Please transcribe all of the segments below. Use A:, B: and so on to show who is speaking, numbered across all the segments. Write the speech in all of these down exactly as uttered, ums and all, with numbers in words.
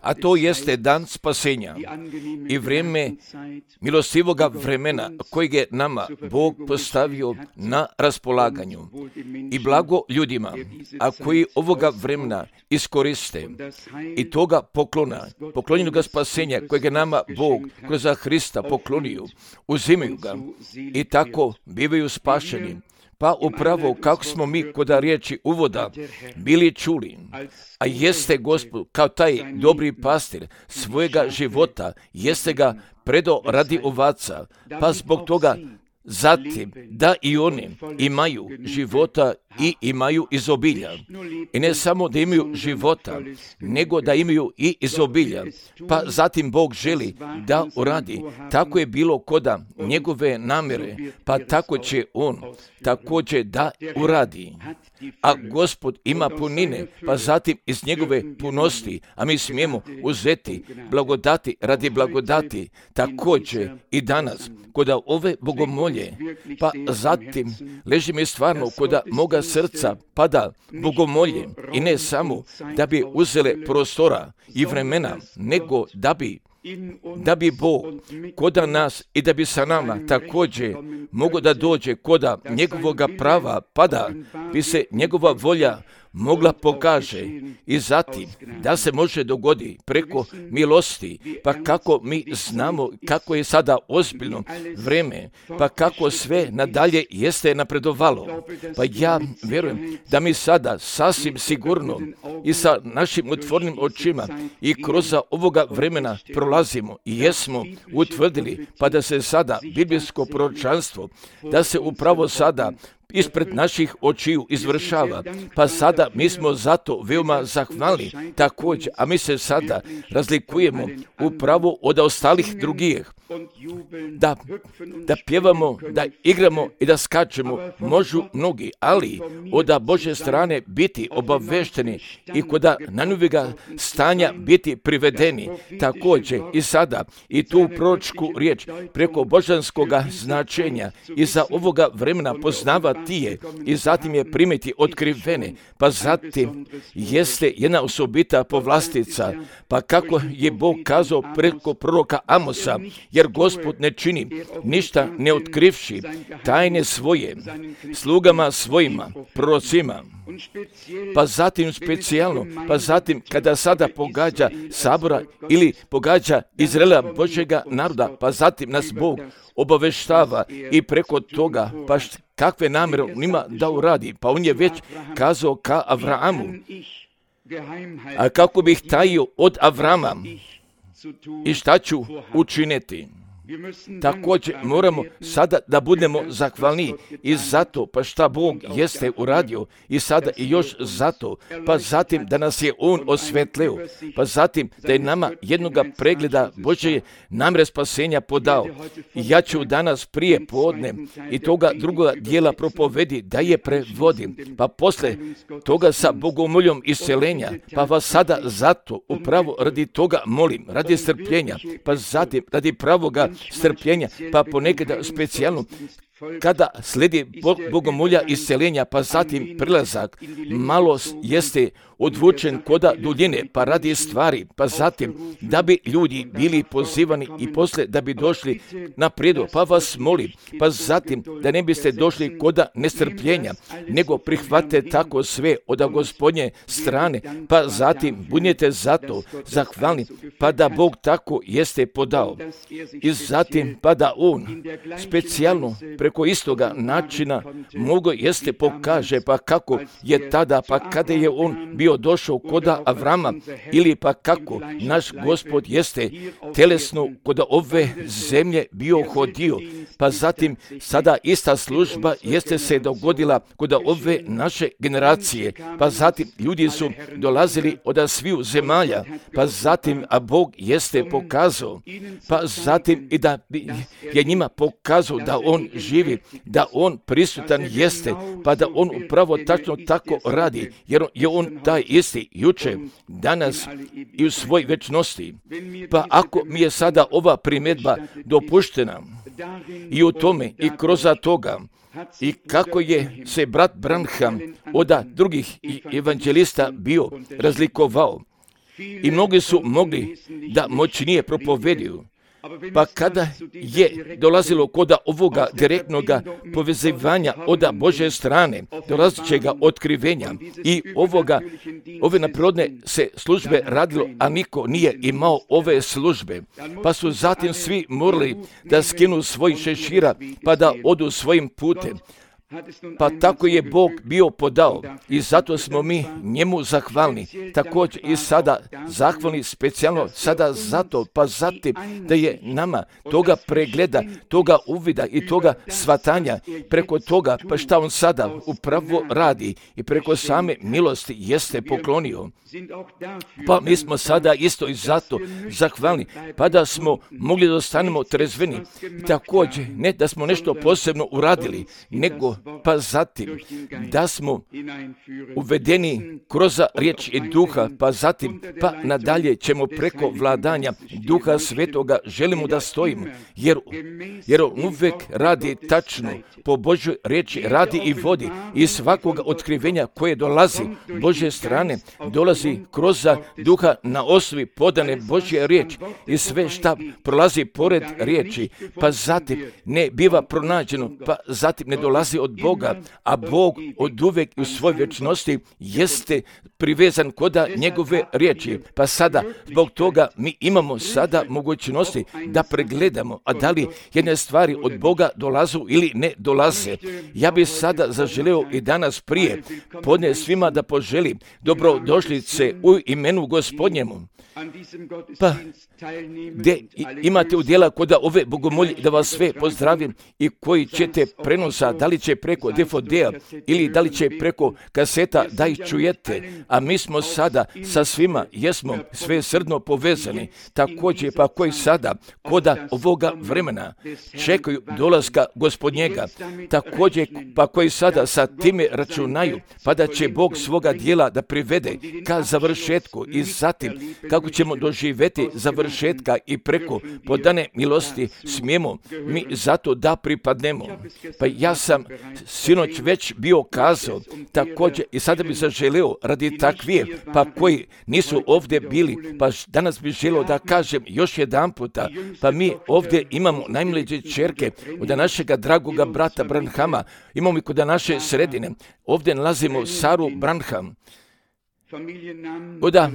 A: a to jeste dan spasenja i vrijeme milostivoga vremena kojeg je nama Bog postavio na raspolaganju i blago ljudima, a koji ovoga vremena iskoriste i toga poklona, poklonjenoga spasenja kojeg je nama Bog kroz Hrista poklonio, uzimaju ga i tako bivaju spašeni. Pa upravo kako smo mi kod riječi uvoda bili čuli, a jeste Gospod kao taj dobri pastir svojega života, jeste ga predo radi ovaca, pa zbog toga zatim da i oni imaju života i imaju izobilja. I ne samo da imaju života, nego da imaju i izobilja. Pa zatim Bog želi da uradi. Tako je bilo koda njegove namjere, pa tako će on također da uradi. A Gospod ima punine, pa zatim iz njegove punosti, a mi smijemo uzeti blagodati radi blagodati, također i danas, koda ove bogomolje, pa zatim leži mi stvarno koda moga srca pada bogomolje i ne samo da bi uzele prostora i vremena, nego da bi da bi Bog koda nas i da bi sa nama također mogo da dođe koda njegovoga prava pada, bi se njegova volja mogla pokaže i zatim da se može dogodi preko milosti, pa kako mi znamo kako je sada ozbiljno vreme, pa kako sve nadalje jeste napredovalo. Pa ja vjerujem da mi sada sasvim sigurno i sa našim otvornim očima i kroz ovoga vremena prolazimo i jesmo utvrdili, pa da se sada biblijsko proročanstvo, da se upravo sada ispred naših očiju izvršava, pa sada mi smo zato veoma zahvalni također, a mi se sada razlikujemo upravo od ostalih drugih. Da, da pjevamo, da igramo i da skačemo možu mnogi, ali od Božje strane biti obavešteni i koda najnovijega stanja biti privedeni također i sada i tu proročku riječ preko božanskoga značenja i za ovoga vremena poznavati je i zatim je primiti otkrivene, pa zatim jeste jedna osobita povlastica, pa kako je Bog kazao preko proroka Amosa, jer Gospod ne čini ništa ne otkrivši tajne svoje slugama svojima, prorocima. Pa zatim specijalno, pa zatim kada sada pogađa sabora ili pogađa Izraela Božjega naroda, pa zatim nas Bog obaveštava i preko toga pa kakve namjere on ima da uradi. Pa on je već kazao ka Avramu, a kako bih tajio od Avrama i šta ću učiniti. Također moramo sada da budemo zahvalni i zato pa šta Bog jeste uradio i sada i još zato, pa zatim da nas je On osvetlio, pa zatim da je nama jednoga pregleda Božje namjere spasenja podao. I ja ću danas prije podne i toga drugoga dijela propovedi da je prevodim, pa posle toga sa bogomoljom isceljenja, pa vas sada zato upravo radi toga molim, radi strpljenja, pa zatim radi pravoga strpljenja, pa ponekada specijalno kada slijedi bogomolja isceljenja, pa zatim prilazak malo jeste odvučen koda duljine, pa radi stvari, pa zatim da bi ljudi bili pozivani i posle da bi došli na prijedlog, pa vas molim, pa zatim da ne biste došli koda nestrpljenja, nego prihvate tako sve od Gospodnje strane, pa zatim budete zato zahvalni, pa da Bog tako jeste podao. I zatim pa da On specijalno preko istoga načina mogo jeste pokaže, pa kako je tada, pa kada je On bio došao koda Avrama, ili pa kako naš Gospod jeste telesno koda ove zemlje bio hodio, pa zatim sada ista služba jeste se dogodila koda ove naše generacije, pa zatim ljudi su dolazili od sviju zemalja, pa zatim a Bog jeste pokazao, pa zatim i da je njima pokazao da On živi, da On prisutan jeste, pa da On upravo tačno tako radi, jer je On taj isti juče, danas i u svoj večnosti. Pa ako mi je sada ova primjedba dopuštena i u tome i kroz toga, i kako je se brat Branham od drugih evanđelista bio razlikovao, i mnogi su mogli da moćnije propovediju. Pa kada je dolazilo kod ovoga direktnoga povezivanja od Božje strane, dolazećega otkrivenja i ovoga, ove naprirodne se službe radilo, a niko nije imao ove službe. Pa su zatim svi morali da skinu svoj šešira, pa da odu svojim putem. Pa tako je Bog bio podao i zato smo mi njemu zahvalni. Također i sada zahvalni specijalno sada zato, pa zatim da je nama toga pregleda, toga uvida i toga svatanja preko toga, pa šta on sada upravo radi i preko same milosti jeste poklonio. Pa mi smo sada isto i zato zahvalni, pa da smo mogli da ostanemo trezveni. Također, ne da smo nešto posebno uradili, nego pa zatim da smo uvedeni kroz riječ i duha, pa zatim pa nadalje ćemo preko vladanja duha svetoga želimo da stojimo, jer, jer on uvek radi tačno po Božoj riječi, radi i vodi i svakoga otkrivenja koje dolazi Božje strane, dolazi kroz duha na osnovi podane Božje riječi i sve šta prolazi pored riječi, pa zatim ne biva pronađeno, pa zatim ne dolazi od Boga, a Bog od uvek u svojoj vječnosti jeste privezan koda njegove riječi. Pa sada, zbog toga mi imamo sada mogućnosti da pregledamo, a da li jedne stvari od Boga dolazu ili ne dolaze. Ja bih sada zaželeo i danas prije podne svima da poželim dobrodošlice u imenu Gospodnjemu. Pa, gdje imate udjela kod ove bogomolje, da vas sve pozdravim i koji ćete prenosa, da li će preko D V D-a ili da li će preko kaseta da ih čujete, a mi smo sada sa svima, jesmo sve srdno povezani, također pa koji sada koda ovoga vremena čekaju dolaska Gospodnjega, također pa koji sada sa time računaju, pa da će Bog svoga dijela da privede ka završetku i zatim kako ćemo doživjeti završetka i preko podane milosti smijemo mi zato da pripadnemo. Pa ja sam sinoć već bio kazao također i sada bi zaželeo radi takvije pa koji nisu ovdje bili, pa danas bih želeo da kažem još jedan puta, pa mi ovdje imamo najmlađe ćerke od našega dragoga brata Branhama, imamo i kod naše sredine, ovdje nalazimo Saru Branham. Oda,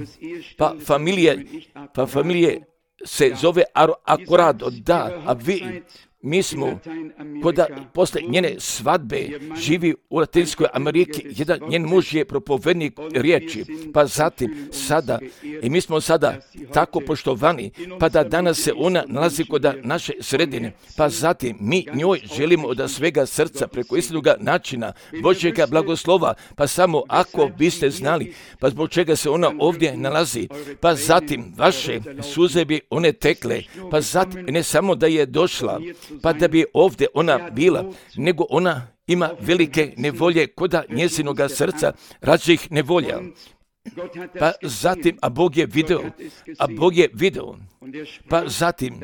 A: pa familije, pa familije se zove Akorado, da, a vi, mi smo, koda posle njene svadbe živi u Latinskoj Ameriki, jedan njen muž je propovednik riječi, pa zatim sada, i mi smo sada tako poštovani, pa da danas se ona nalazi kod naše sredine, pa zatim mi njoj želimo od svega srca preko istinoga načina Božjega blagoslova, pa samo ako biste znali, pa zbog čega se ona ovdje nalazi, pa zatim vaše suze bi one tekle, pa zatim ne samo da je došla, pa da bi ovdje ona bila, nego ona ima velike nevolje koda njezinoga srca, različitih nevolja. Pa zatim, a Bog je video, a Bog je video, pa zatim,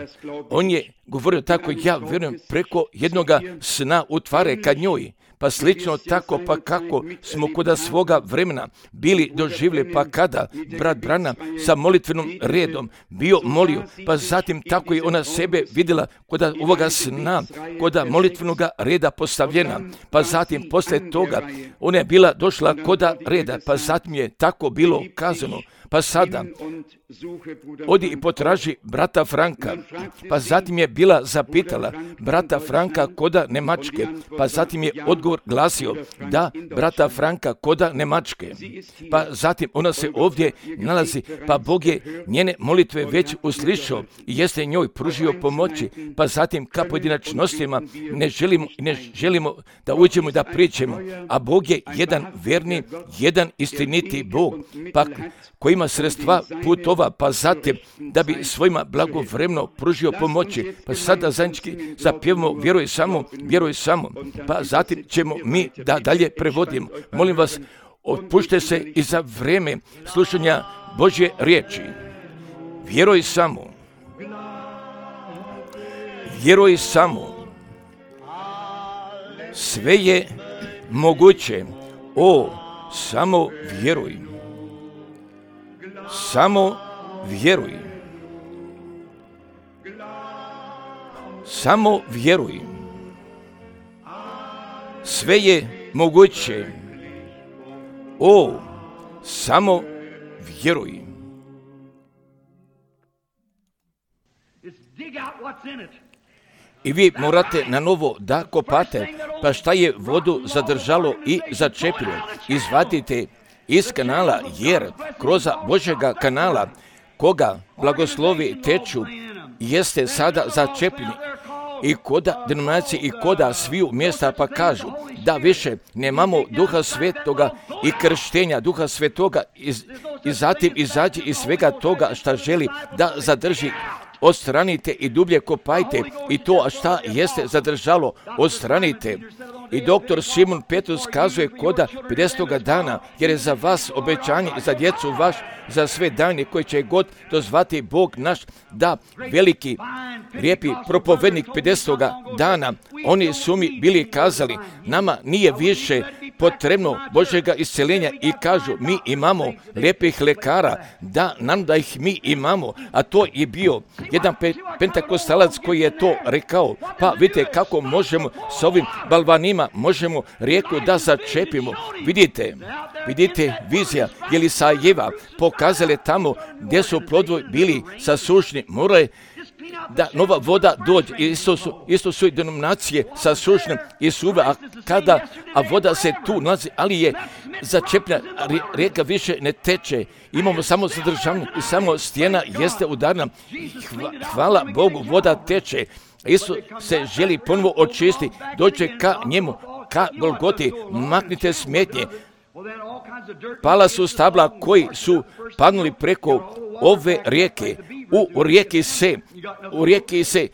A: on je govorio tako, ja vjerujem, preko jednoga sna utvare ka njoj, pa slično tako, pa kako smo kod svoga vremena bili doživjeli, pa kada brat Branham sa molitvenom redom bio molio, pa zatim tako je ona sebe vidjela kod ovoga sna, kod molitvenoga reda postavljena, pa zatim posle toga ona je bila došla kod reda, pa zatim je tako bilo kazano, pa sada odi i potraži brata Franka, pa zatim je bila zapitala brata Franka koda Nemačke, pa zatim je odgovor glasio da brata Franka koda Nemačke, pa zatim ona se ovdje nalazi, pa Bog je njene molitve već uslišao i jeste njoj pružio pomoći, pa zatim ka pojedinačnostima ne želimo, ne želimo da uđemo i da pričamo, a Bog je jedan verni, jedan istiniti Bog, pa koji ima sredstva putova, pa zatim da bi svojima blagovremeno pružio pomoći, pa sada zajednički zapjevamo vjeruj samo, vjeruj samo, pa zatim ćemo mi da dalje prevodimo. Molim vas, otpušte se i za vrijeme slušanja Božje riječi. Vjeruj samo. Vjeruj samo. Sve je moguće. O, samo vjeruj. Samo vjeruj. Samo vjeruj. Sve je moguće. O, samo vjeruj. I vi morate na novo da kopate, pa šta je vodu zadržalo i začepilo, izvadite iz kanala, jer kroz Božjega kanala, koga blagoslovi teču, jeste sada začepljeni. I koda denominacije i koda sviju mjesta pa kažu da više nemamo Duha Svetoga i krštenja Duha Svetoga i, i zatim izađi iz svega toga šta želi da zadrži. Odstranite i dublje kopajte i to šta jeste zadržalo, odstranite. I doktor Simon Petrus kazuje koda pedesetoga dana, jer je za vas obećanje za djecu vaš, za sve dane koje će god dozvati Bog naš, da veliki, lijepi propovednik pedesetoga dana, oni su mi bili kazali, nama nije više potrebno Božjega isceljenja i kažu, mi imamo lijepih lekara, da nam da ih mi imamo, a to je bio jedan pe- pentakostalac koji je to rekao. Pa vidite kako možemo s ovim balvanima, možemo rijeku da začepimo. Vidite, vidite vizija Jelisajeva pokazale tamo gdje su plodovi bili sasušni, morale da nova voda dođe. Isto su, isto su i denominacije sasušne i suve, a kada a voda se tu nalazi, ali je začepljena, rijeka više ne teče. Imamo samo zadržavanje i samo stijena jeste udarna. Hvala Bogu, voda teče. Isto se želi ponovo očistiti, dođe ka njemu, ka Golgoti, maknite smetnje. Pala su stabla koji su padnuli preko ove rijeke. U, u rijeki se, u rijeki se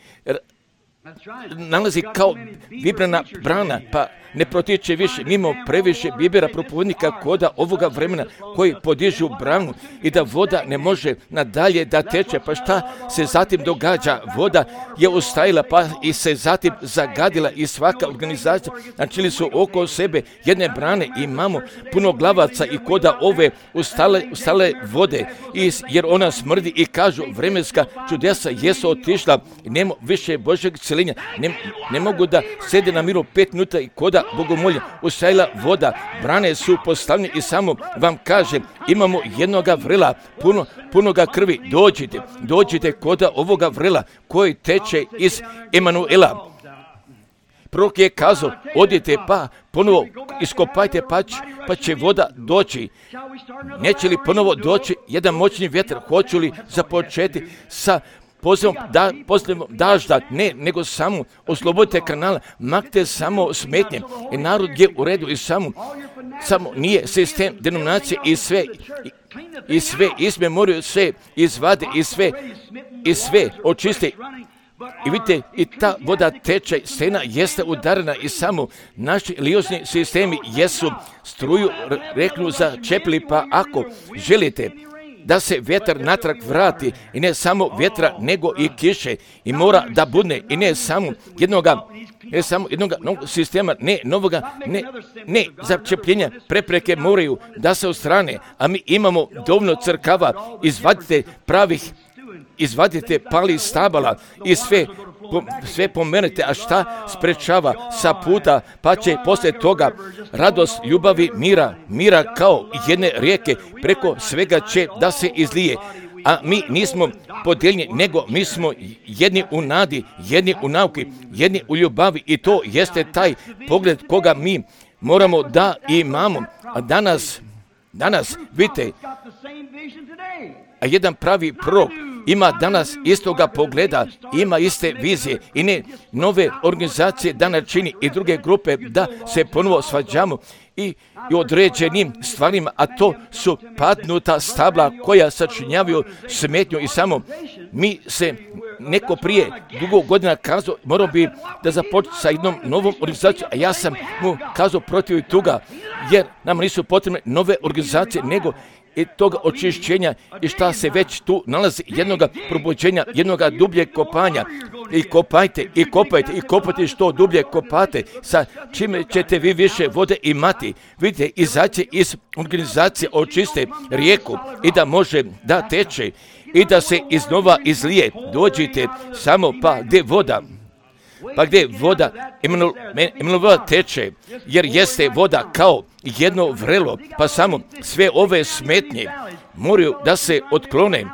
A: nalazi kao vibrana brana, pa ne protiče više. Mimo previše bibera propovednika koda ovoga vremena koji podižu branu i da voda ne može nadalje da teče. Pa šta se zatim događa? Voda je ustajila pa i se zatim zagadila i svaka organizacija načeli su oko sebe jedne brane. Imamo puno glavaca i koda ove ustale, ustale vode iz, jer ona smrdi i kažu vremenska čudesa jesu otišla i nema više Božjeg isceljenja. Ne, ne mogu da sede na miru pet minuta i koda bogomolja ustajila voda, brane su postavljene i samo vam kaže, imamo jednoga vrela, puno, punoga krvi, dođite, dođite koda ovoga vrela koji teče iz Emanuela. Prorok je kazao, odite pa ponovo iskopajte pa će, pa će voda doći. Neće li ponovo doći jedan moćni vjetar? Hoću li započeti sa pozivom da, pozivom dažda? Ne, nego samo oslobodite kanala, maknite samo smetnje. I narod je u redu i samo, samo nije sistem denominacije i sve, i, i sve izme moraju sve izvade i sve, i sve očiste. I vidite, i ta voda teče, stena jeste udarena i samo naši religiozni sistemi jesu struju reknu začepili, pa ako želite da se vjetar natrag vrati i ne samo vjetra nego i kiše i mora da budne i ne samo jednoga ne samo jednoga novog sistema, ne novoga, ne, ne začepljenja, prepreke moraju da se odstrane, a mi imamo dovoljno crkava, izvadite pravih izvadite pali stabala i sve, po, sve pomenete, a šta sprečava sa puta, pa će poslije toga radost, ljubavi, mira, mira kao jedne rijeke, preko svega će da se izlije. A mi nismo podijeljeni, nego mi smo jedni u nadi, jedni u nauki, jedni u ljubavi i to jeste taj pogled koga mi moramo da imamo. A danas, danas, vidite, a jedan pravi prorok ima danas istoga pogleda, ima iste vizije i ne nove organizacije da načini i druge grupe da se ponovo svađamo i, i određenim stvarima, a to su padnuta stabla koja sačinjavaju smetnju i samo mi se neko prije dugo godina kazao, morao bi da započne sa jednom novom organizacijom, a ja sam mu kazao protiv toga, jer nam nisu potrebne nove organizacije, nego i toga očišćenja i šta se već tu nalazi, jednoga probuđenja, jednoga dubljeg kopanja. i kopajte, i kopajte, i kopajte što dublje kopate, sa čime ćete vi više vode imati. Vidite, izaći iz organizacije očiste rijeku i da može da teče i da se iznova izlije. Dođite samo pa gdje voda, pa gdje voda imenova teče, jer jeste voda kao jedno vrelo, pa samo sve ove smetnje moraju da se otklone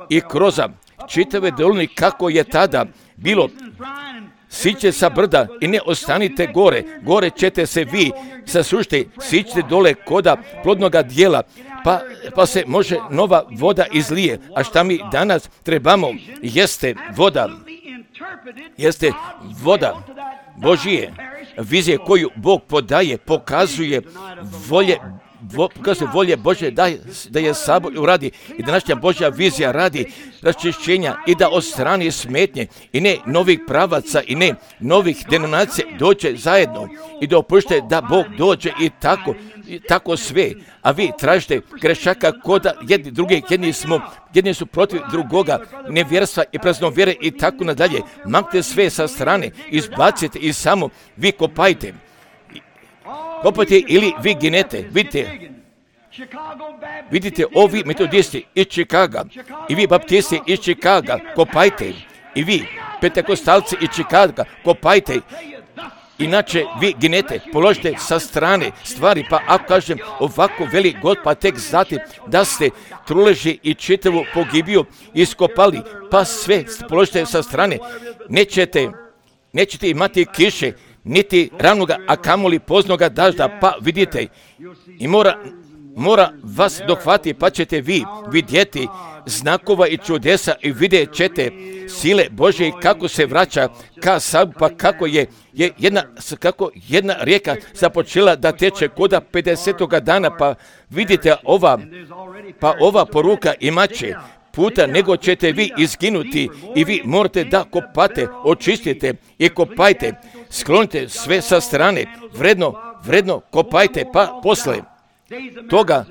A: i kroz čitave dolini kako je tada bilo. Siđite sa brda i ne ostanite gore, gore ćete se vi sasušiti, siđite dole koda plodnoga dijela, pa, pa se može nova voda izlije. A šta mi danas trebamo jeste voda, jeste voda Božije, vizije koju Bog podaje, pokazuje volje Vo, pokazuje volje Bože da, da je sabor uradi i današnja Božja vizija radi raščišćenja i da odstrani smetnje i ne novih pravaca i ne novih denominacija dođe zajedno i da opušte da Bog dođe i tako, i tako sve. A vi tražite grešaka koda jedni drugi, jedni smo, jedni su protiv drugoga, nevjerstva i praznovjere i tako nadalje. Maknite sve sa strane, izbacite i samo vi kopajte. Kopajte ili vi ginete, vidite, vidite ovi metodisti iz Čikaga i vi baptisti iz Čikaga, kopajte i vi pentekostalci iz Čikaga, kopajte, inače vi ginete, položite sa strane stvari, pa ako kažem ovako veli God, pa tek znate da ste truleži i čitavu pogibiju iskopali, pa sve položite sa strane, nećete, nećete imati kiše, niti ravnoga, a kamoli poznoga dažda, pa vidite, i mora, mora vas dohvati, pa ćete vi vidjeti znakova i čudesa i vidjet ćete sile Božje kako se vraća ka sabu, pa kako je, je jedna, kako jedna rijeka započela da teče koda pedesetoga dana, pa vidite ova, pa ova poruka imaće puta nego ćete vi izginuti i vi morate da kopate, očistite i kopajte, sklonite sve sa strane, vredno, vredno kopajte, pa posle toga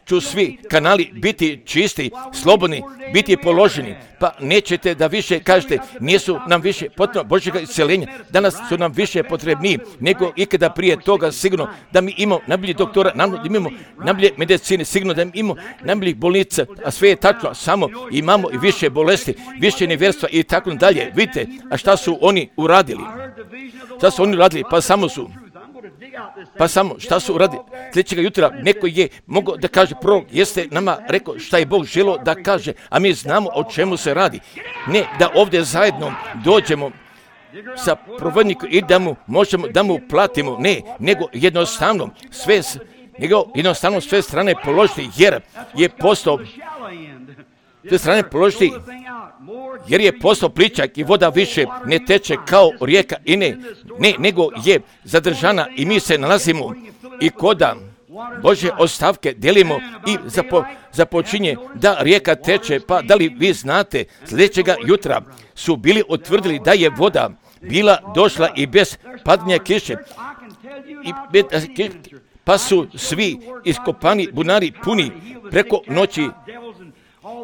A: ću svi kanali biti čisti, slobodni, biti položeni, pa nećete da više kažete, nisu nam više potrebno Božjega isceljenja, danas su nam više potrebni nego ikada prije toga, sigurno da mi imamo najbolji doktora, da imamo najbolje medicine, sigurno da imamo najboljih bolnica, a sve je tačno, samo imamo i više bolesti, više nevjerstva i tako dalje. Vidite, a šta su oni uradili? Šta su oni uradili? Pa samo su Pa samo šta su uradili? Sljedećega jutra neko je mogao da kaže, prorok jeste nama rekao šta je Bog želio da kaže, a mi znamo o čemu se radi. Ne da ovdje zajedno dođemo sa provodnikom i da mu možemo da mu platimo, ne, nego jednostavno sve, nego jednostavno sve strane položiti, jer je postao sve strane položiti, jer je postao pličak i voda više ne teče kao rijeka i ne, ne, nego je zadržana i mi se nalazimo i koda Božje ostavke delimo i zapo, započinje da rijeka teče, pa da li vi znate, sljedećega jutra su bili utvrdili da je voda bila došla i bez padanja kiše, i bez, pa su svi iskopani bunari puni preko noći.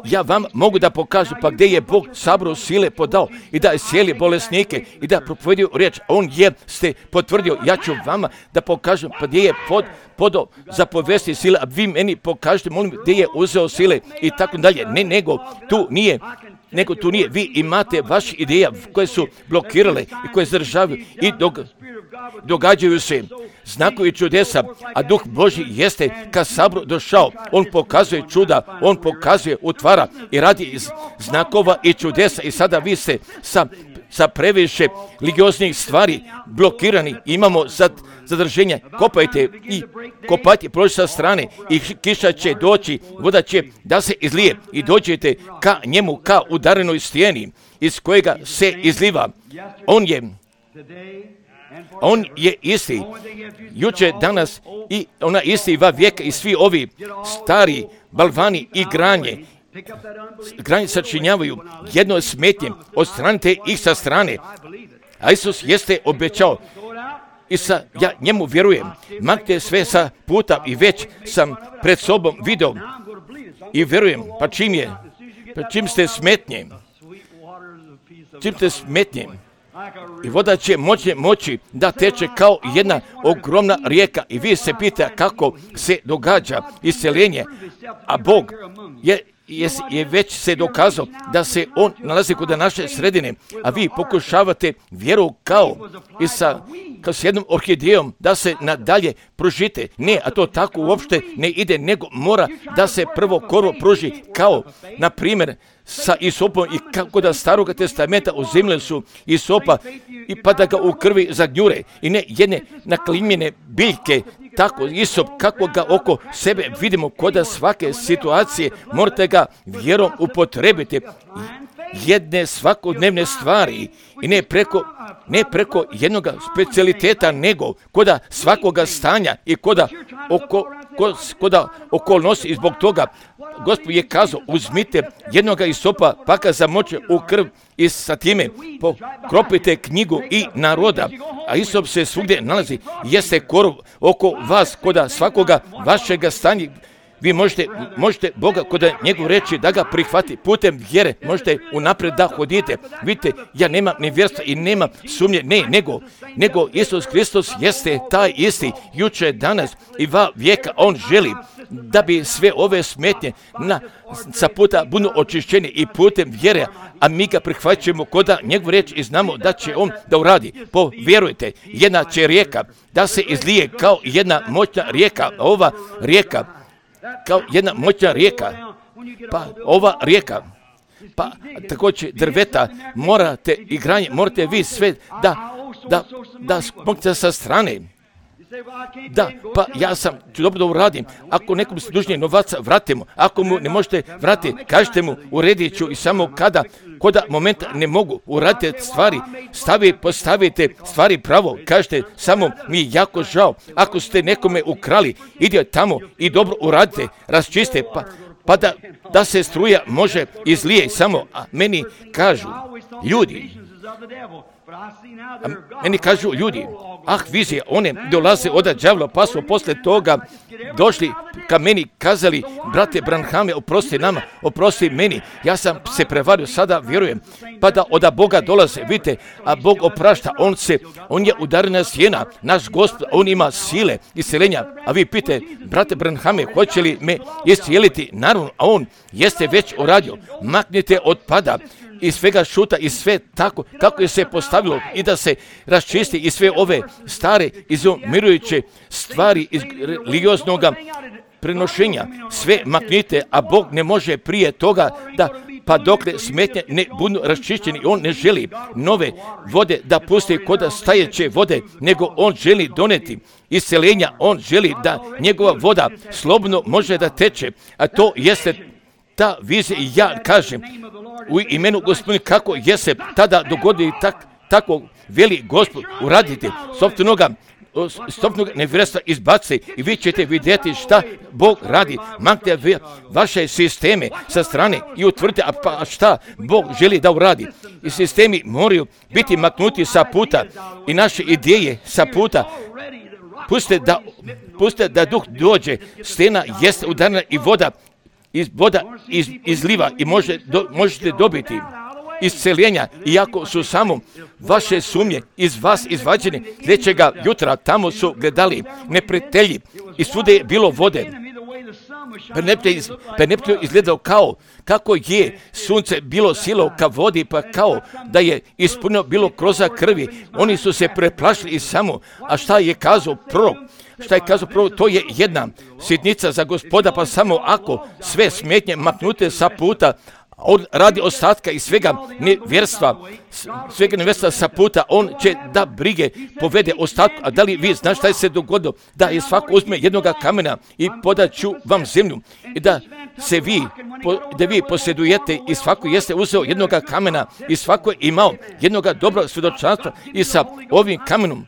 A: Ja vam mogu da pokažem pa gdje je Bog sabro sile podao i da je cijeli bolesnike i da propovedio riječ. On je ste potvrdio. Ja ću vama da pokažem pa gdje je pod, podao za povesti sile, a vi meni pokažete, molim, gdje je uzeo sile i tako dalje. Ne, nego tu nije. Nego tu nije. Vi imate vaše ideje koje su blokirale i koje zadržavaju i dog, događaju se znakovi čudesa, a Duh Božji jeste kad sabor došao. On pokazuje čuda, on pokazuje, utvara i radi iz znakova i čudesa i sada vi ste sa, sa previše religioznih stvari blokirani. Imamo sad zadrženja, kopajte i kopajte proći sa strane i kiša će doći, voda će da se izlije i dođete ka njemu, ka udarenoj stijeni iz kojega se izliva. On je, on je isti, juče, danas i ona isti va vijeka i svi ovi stari balvani i granje, granje sačinjavaju jedno smetnje, odstranite ih sa strane. A Isus jeste obećao, i sa, ja njemu vjerujem, maknite sve sa puta i već sam pred sobom video i vjerujem, pa čim je, pa čim ste smetnje, čim te smetnje. I voda će moći, moći da teče kao jedna ogromna rijeka. I vi se pita kako se događa isceljenje, a Bog je, je, je već se dokazao da se On nalazi kod naše sredine, a vi pokušavate vjeru kao i sa, kao s jednom orhidejom da se nadalje pružite. Ne, a to tako uopšte ne ide, nego mora da se prvo korvo pruži kao, na primjer, sa isopom i kako da staroga testamenta uzimljali su isopa i pa da ga u krvi zagnjure i ne jedne naklimljene biljke, tako isop kako ga oko sebe vidimo kod svake situacije, morate ga vjerom upotrebiti jedne svakodnevne stvari i ne preko, ne preko jednog specijaliteta, nego kod svakoga stanja i kod oko, kod okolnosti. I zbog toga Gospod je kazao, uzmite jednoga isopa pa ga zamoče u krv i sa time pokropite knjigu i naroda, a isop se svugdje nalazi, jeste korov oko vas kod svakoga vašega stanja. Vi možete, možete Boga kod njegov reći da ga prihvati putem vjere, možete unaprijed da hodite. Vidite, ja nemam ni vjerstva i nemam sumnje, ne, nego, nego Isus Hristos jeste taj isti, juče, danas i va vijeka. On želi da bi sve ove smetnje na, sa puta budu očišćeni i putem vjere, a mi ga prihvaćamo kod njegov reći i znamo da će on da uradi. Povjerujte, jedna će rijeka da se izlije kao jedna moćna rijeka, ova rijeka, kao jedna moćna rijeka, pa ova rijeka, pa također drveta, morate i granje, morate vi sve da, da, da smoknete sa strane. Da, pa ja sam, ću dobro da uradim, ako nekom se dužnije novaca vratimo, ako mu ne možete vratiti, kažete mu, uredit ću i samo kada, koda momenta ne mogu, uradite stvari, stavi, postavite stvari pravo, kažete, samo mi je jako žao, ako ste nekome ukrali, idite tamo i dobro uradite, raščiste, pa, pa da, da se struja može izlije samo, a meni kažu ljudi, a meni kažu ljudi, ah vizije, one dolaze od đavla, pa su posle toga došli ka meni, kazali, brate Branhame, oprosti nama, oprosti meni, ja sam se prevario, sada vjerujem, pa da od Boga dolaze, vidite, a Bog oprašta, on se, on je udarena sjena, naš Gospod, on ima sile isceljenja, a vi pite, brate Branhame, hoće li me iscijeliti? Naravno, a on jeste već uradio, maknite od pada, i svega šuta i sve tako kako je se postavilo i da se raščisti i sve ove stare izumirujuće stvari iz religioznog prenošenja. Sve maknite, a Bog ne može prije toga da pa dokle smetnje ne budu raščišćeni. On ne želi nove vode da pusti kod stajeće vode, nego on želi doneti isceljenja. On želi da njegova voda slobodno može da teče, a to jeste ta vizija. I ja kažem u imenu Gospodine kako je se tada dogodi tak, tako veli Gospod uraditi sopstvenoga stopnog nevjerstva izbaci i vi ćete vidjeti šta Bog radi. Maknite vaše sisteme sa strane i utvrdite a pa šta Bog želi da uradi. I sistemi moraju biti maknuti sa puta i naše ideje sa puta. Pustite da, pustite da duh dođe, stena jeste udarena i voda iz voda iz, izliva i može, do, možete dobiti isceljenja, iako su samo vaše sumnje iz vas izvađene. Sljedećega jutra tamo su gledali neprijatelji i svude je bilo vode. Perneptiju izgledao kao kako je sunce bilo silo ka vodi, pa kao da je ispunio bilo kroza krvi. Oni su se preplašili i samo, a šta je kazao prorok? Šta je kazao prvo, to je jedna sitnica za Gospoda, pa samo ako sve smetnje maknute sa puta, on radi ostatka i svega nevjerstva, svega nevjerstva sa puta, on će da brige povede ostatku. A da li vi znaš šta je se dogodilo? Da je svako uzme jednoga kamena i podaću vam zemlju i da se vi, da vi posjedujete i svako jeste uzeo jednoga kamena i svako je imao jednoga dobra svjedočanstva i sa ovim kamenom.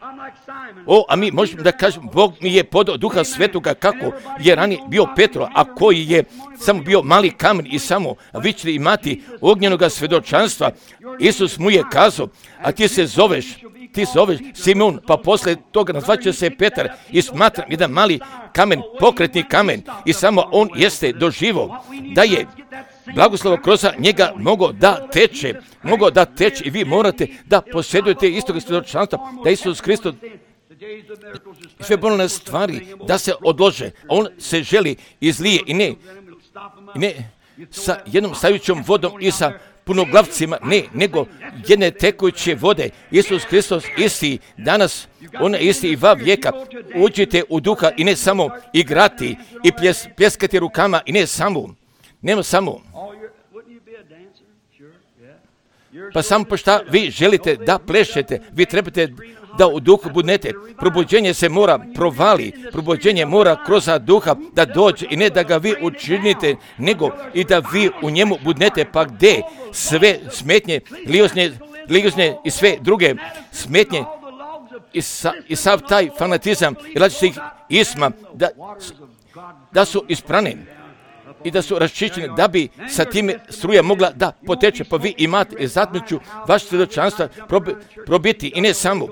A: O, a mi možemo da kažemo, Bog mi je podao Duha Svetoga kako je ranije bio Petro, a koji je samo bio mali kamen i samo, a vi ćete imati ognjenoga svjedočanstva. Isus mu je kazao, a ti se zoveš, ti se zoveš Simon, pa posle toga nazvaće se Petar i smatram jedan mali kamen, pokretni kamen i samo on jeste doživo da je blagoslova kroz njega mogao da teče, mogao da teče i vi morate da posjedujete istog svjedočanstva, da Isus Hristos sve bolne stvari da se odlože, a on se želi izlije i ne, i ne sa jednom stajućom vodom i sa punoglavcima, ne, nego jedne tekuće vode. Isus Hristos isti danas, on je isti i va vijeka. Uđite u duha i ne samo igrati i pljes, pljeskati rukama i ne samo, nema samo. Pa samo po šta vi želite da plešete, vi trebate da u duhu budnete. Probuđenje se mora provali, probuđenje mora kroz duha da dođe i ne da ga vi učinite, nego i da vi u njemu budnete, pa gdje sve smetnje, liozne, liozne i sve druge smetnje i, sa, i sav taj fanatizam i različitih isma da, da su isprane i da su raščišćene, da bi sa time struja mogla da poteče, pa vi imate zatmiću vaše svjedočanstva probi, probiti i ne samo.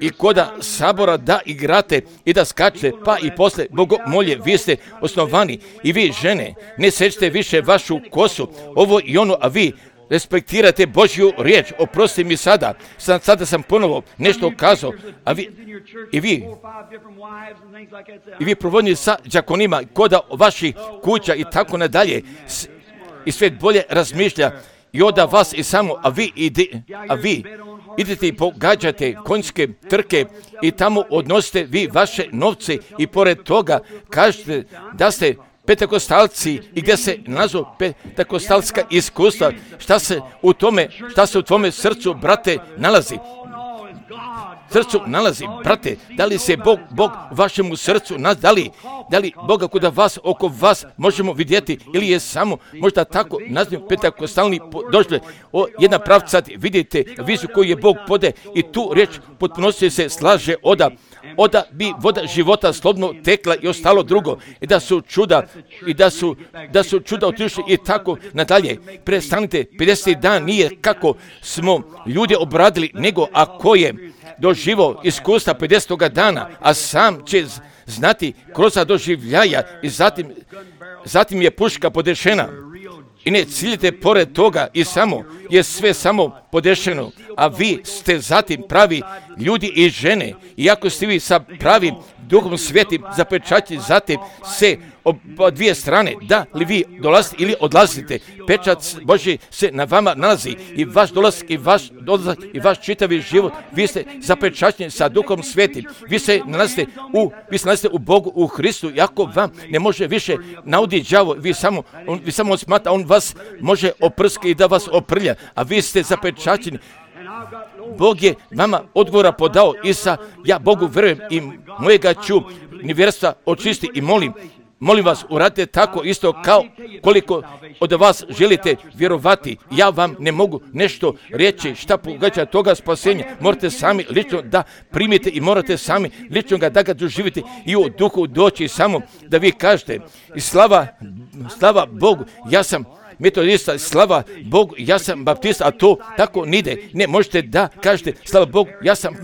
A: I koda sabora da igrate i da skačete, pa i posle bogomolje, vi ste osnovani i vi žene, ne sečete više vašu kosu, ovo i ono, a vi respektirate Božju riječ. Oprosti mi sada, sad, sada sam ponovo nešto kazao, a vi, i vi, i vi provodni sa đakonima, koda vaših kuća i tako nadalje, i svijet bolje razmišlja i oda vas i samo, a vi, ide, a vi idete i pogađate konjske trke i tamo odnosite vi vaše novce i pored toga kažete da ste petakostalci i gdje se nalazu petakostalska iskustva, šta se u tome, šta se u tvome srcu, brate, nalazi. Srcu nalazi, brate, da li se Bog, Bog vašemu srcu, da li, da li Boga kuda vas, oko vas možemo vidjeti ili je samo možda tako nazivamo petakostalni došle, o, jedna pravca, vidite vizu koju je Bog pode i tu riječ potpunosti se slaže oda, oda bi voda života slobodno tekla i ostalo drugo i da su čuda i da su, da su čuda otišli i tako nadalje. Prestanite, pedeseti dan nije kako smo ljude obradili, nego ako je doživo iskustva pedesetoga dana, a sam će znati kroz doživljaja i zatim, zatim je puška podešena. I ne ciljite pored toga i samo je sve samo podešeno, a vi ste zatim pravi ljudi i žene. Iako ste vi sa pravim duhom svetim zapečaćeni, zatim se oba dvije strane, da li vi dolazite ili odlazite, pečat Božji se na vama nalazi i vaš dolazak i vaš dolazak i vaš čitavi život, vi ste zapečaćeni sa duhom svetim, vi se nalazite u, vi se nalazite u Bogu, u Hristu, iako vam ne može više naudi đavo, vi samo, on, vi samo smata, on vas može oprskati i da vas oprlja, a vi ste zapečaćeni. Bog je vama odgovora podao i sa ja Bogu verujem i mojega ću nevjerstva očisti i molim. Molim vas, uradite tako isto kao koliko od vas želite vjerovati. Ja vam ne mogu nešto reći šta pogađa toga spasenja. Morate sami lično da primite i morate sami lično ga da ga doživite i u duhu doći samo da vi kažete i slava, slava Bogu, ja sam metodista, slava Bogu, ja sam baptista, a to tako nide. Ne, možete da kažete, slava Bogu, ja sam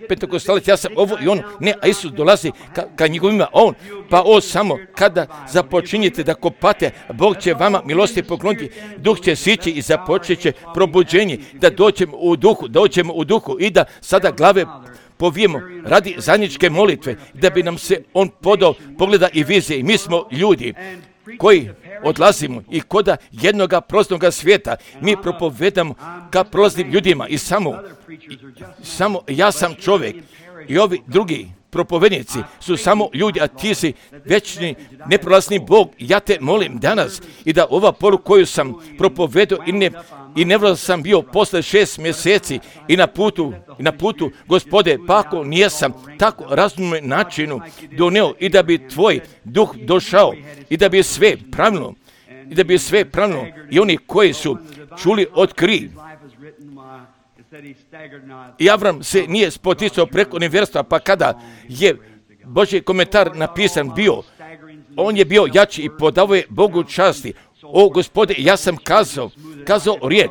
A: pentakostalac, ja sam ovo i ono. Ne, a Isus dolazi ka, ka njegovima, on, pa on samo kada započinjete da kopate, Bog će vama milosti pokloniti, duh će sići i započet će probuđenje, da dođemo u duhu, dođemo u duhu i da sada glave povijemo radi zajedničke molitve, da bi nam se on podao pogleda i vizije. I mi smo ljudi koji odlazimo i koda jednoga proznoga svijeta mi propovedamo ka prolaznim ljudima i samo, i, samo ja sam čovjek i ovi drugi propovednici su samo ljudi, a ti si večni, neprolazni Bog. Ja te molim danas i da ova poruka koju sam propovedao i ne, i nevjerno sam bio posle šest mjeseci i na putu, i na putu, Gospode, pa ako nijesam tako razumnom načinu doneo i da bi tvoj duh došao i da bi sve pravilno, i da bi sve pravilno i oni koji su čuli od kri. I Avram se nije spoticao preko nevjerstva, pa kada je Božji komentar napisan bio, on je bio jači i podao je Bogu časti. O Gospode, ja sam kazao, kazao riječ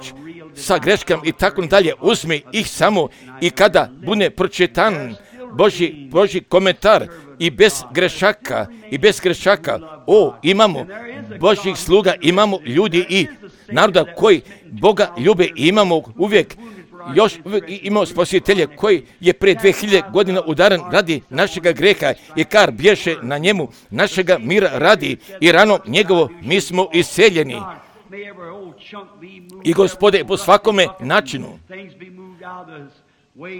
A: sa greškama i tako dalje, uzmi ih samo i kada bude pročitan Božji, Božji komentar, i bez grešaka, i bez grešaka, o, imamo Božjih sluga, imamo ljudi i naroda koji Boga ljube i imamo uvijek još uvijek imamo spasitelje koji je prije dvije hiljade godina udaren radi našega greha i kar bješe na njemu našega mira radi i rano njegovo mi smo isceljeni. I Gospode, po svakome načinu,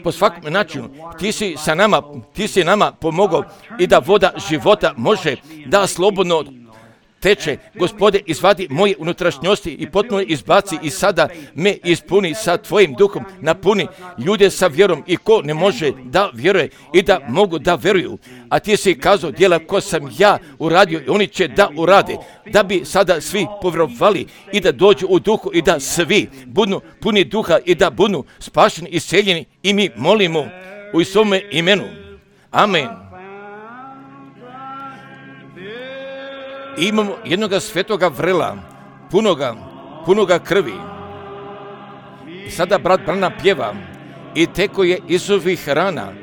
A: po svakom načinu, ti si sa nama, ti si nama pomogao i da voda života može da slobodno teče. Gospode, izvadi moje unutrašnjosti i potpuno izbaci i sada me ispuni sa tvojim duhom, napuni ljude sa vjerom i ko ne može da vjeruje i da mogu da vjeruju. A ti si kazao djela ko sam ja uradio i oni će da urade, da bi sada svi povjerovali i da dođu u duhu i da svi budu puni duha i da budu spašeni i seljeni i mi molimo u svome imenu. Amen. I imamo jednoga svetoga vrela, punoga, punoga krvi. I sada brat Branham pjeva i teko je iz ovih rana.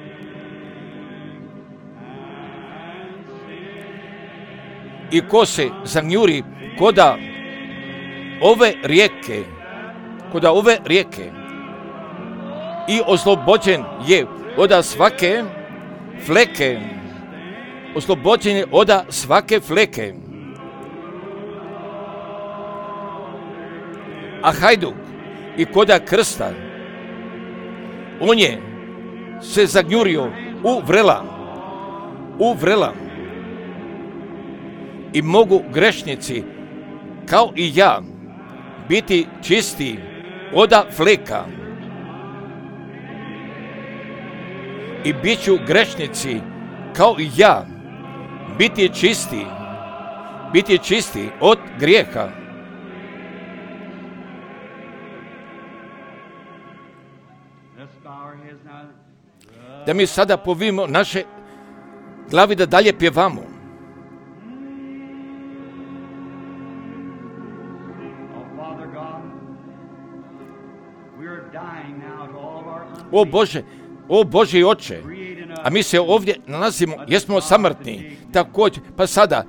A: I ko se zagnjuri koda ove rijeke, koda ove rijeke i oslobođen je od svake fleke, oslobođen je od svake fleke. A hajduk i koda krsta, on je se zagnjurio u vrela, u vrela. I mogu grešnici, kao i ja, biti čisti od fleka. I bit ću grešnici, kao i ja, biti čisti, biti čisti od grijeha. Da mi sada povijemo naše glavi da dalje pjevamo. O Bože, o Boži Oče, a mi se ovdje nalazimo, jesmo samrtni, također, pa sada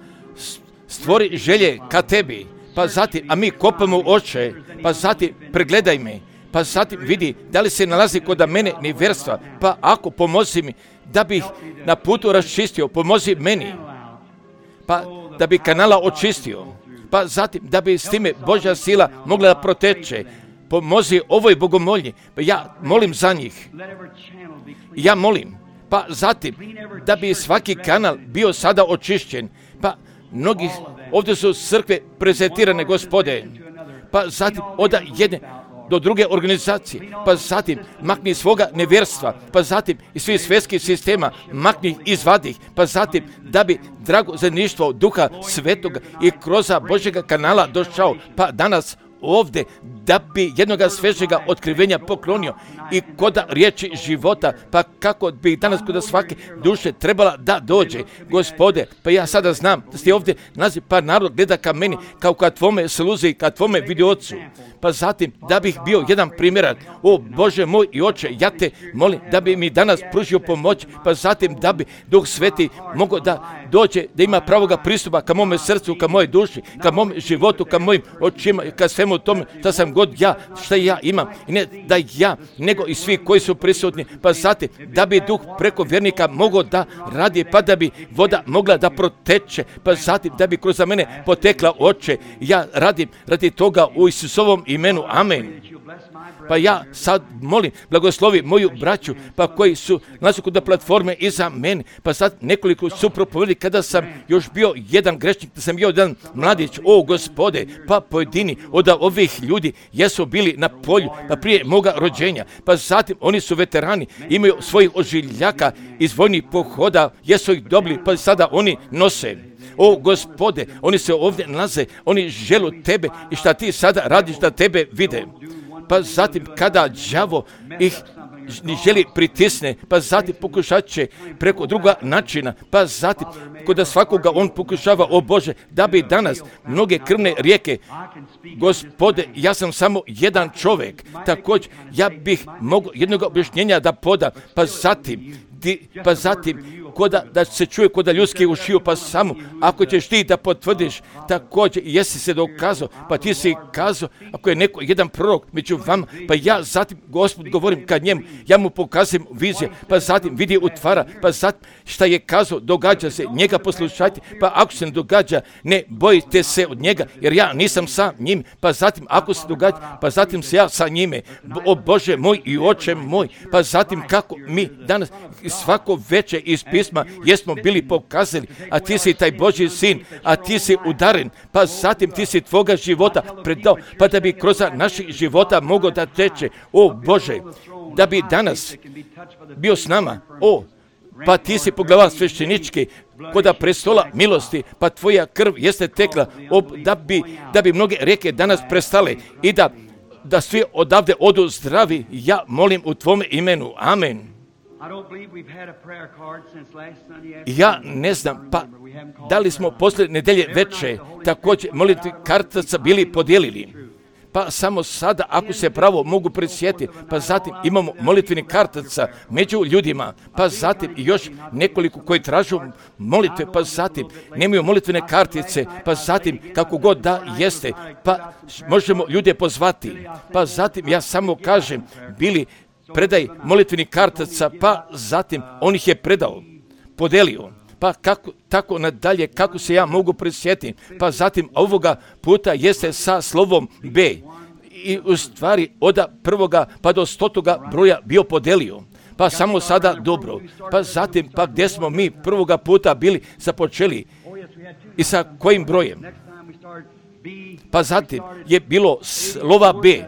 A: stvori želje ka tebi, pa zatim, a mi kopamo Oče, pa zatim pregledaj me, pa zatim vidi da li se nalazi kod mene nevjerstva, pa ako pomozi mi da bih na putu raščistio, pomozi meni, pa da bi kanala očistio, pa zatim da bi s time Božja sila mogla da proteče, pomozi ovoj bogomolji, pa ja molim za njih, ja molim, pa zatim da bi svaki kanal bio sada očišćen, pa mnogi ovdje su crkve prezentirane, Gospode, pa zatim od jedne do druge organizacije, pa zatim makni svoga nevjerstva, pa zatim iz svih svjetskih sistema makni izvadi ih, pa zatim da bi drago zajedništvo Duha Svetoga i kroz Božjega kanala došao, pa danas ovdje da bi jednoga svežega otkrivenja poklonio i kod riječi života, pa kako bi danas kod svake duše trebala da dođe. Gospode, pa ja sada znam da ste ovdje naziv, pa narod gleda ka meni kao ka tvome sluzi, ka tvome vidiocu, pa zatim da bih bio jedan primjerak. O Bože moj i Oče, ja te molim da bi mi danas pružio pomoć, pa zatim da bi Duh Sveti mogao da dođe, da ima pravoga pristupa ka mome srcu, ka moje duši, ka mom životu, ka mojim očima, ka svemu tome što sam god ja, što ja imam. I ne da ja, nego i svi koji su prisutni, pa zatim da bi Duh preko vjernika mogao da radi, pa da bi voda mogla da proteče, pa zatim da bi kroz mene potekla, Oče. Ja radim radi toga u Isusovom imenu. Amen. Pa ja sad molim, blagoslovi moju braću, pa koji su nalazi kod platforme iza mene, pa sad nekoliko su propovjeli kada sam još bio jedan grešnik, da sam bio jedan mladić, o Gospode, pa pojedini od ovih ljudi jesu bili na polju, pa prije moga rođenja, pa zatim oni su veterani, imaju svojih ožiljaka iz vojnih pohoda, jesu ih dobili, pa sada oni nose. O Gospode, oni se ovdje nalaze, oni želu tebe i šta ti sada radiš da tebe vide. Pa zatim kada đavo ih ni želi pritisne, pa zatim pokušat će preko druga načina, pa zatim kod svakoga on pokušava, o Bože, da bi danas mnoge krvne rijeke, Gospode, ja sam samo jedan čovjek, također ja bih mogao jednog objašnjenja da podam, pa zatim ti, pa zatim, koda, da se čuje koda ljudske ušiju, pa samo, ako ćeš ti da potvrdiš, također, jesi se dokazao, pa ti si kazao, ako je neko, jedan prorok među vama, pa ja zatim, Gospod, govorim kad njemu, ja mu pokazujem vizije, pa zatim vidi utvara, pa zatim šta je kazao, događa se, njega poslušajte, pa ako se ne događa, ne bojite se od njega, jer ja nisam sa njim, pa zatim ako se događa, pa zatim se ja sa njime, o Bože moj i oče moj, pa zatim kako mi danas svako veče iz pisma jesmo bili pokazali, a ti si taj Božji sin, a ti si udaren, pa zatim ti si tvoga života predao, pa da bi kroz naših života mogao da teče, o Bože, da bi danas bio s nama, o, pa ti si poglavar sveštenički koda prestola milosti, pa tvoja krv jeste tekla, o, da, bi, da bi mnoge reke danas prestale i da, da svi odavde odu zdravi, ja molim u tvome imenu, amen. Ja ne znam, pa da li smo posle nedelje veče također molitvi kartaca bili podijelili? Pa samo sada, ako se pravo mogu prisjetiti, pa zatim imamo molitveni kartaca među ljudima, pa zatim još nekoliko koji tražu molitve, pa zatim nemaju molitvene kartice, pa zatim kako god da jeste, pa možemo ljude pozvati, pa zatim ja samo kažem, bili predaj molitveni kartaca, pa zatim on ih je predao, podelio. Pa kako, tako nadalje, kako se ja mogu prisjetiti, pa zatim ovoga puta jeste sa slovom B. I u stvari od prvoga pa do stotoga broja bio podelio. Pa samo sada dobro. Pa zatim, pa gdje smo mi prvoga puta bili započeli i sa kojim brojem? Pa zatim je bilo slova B.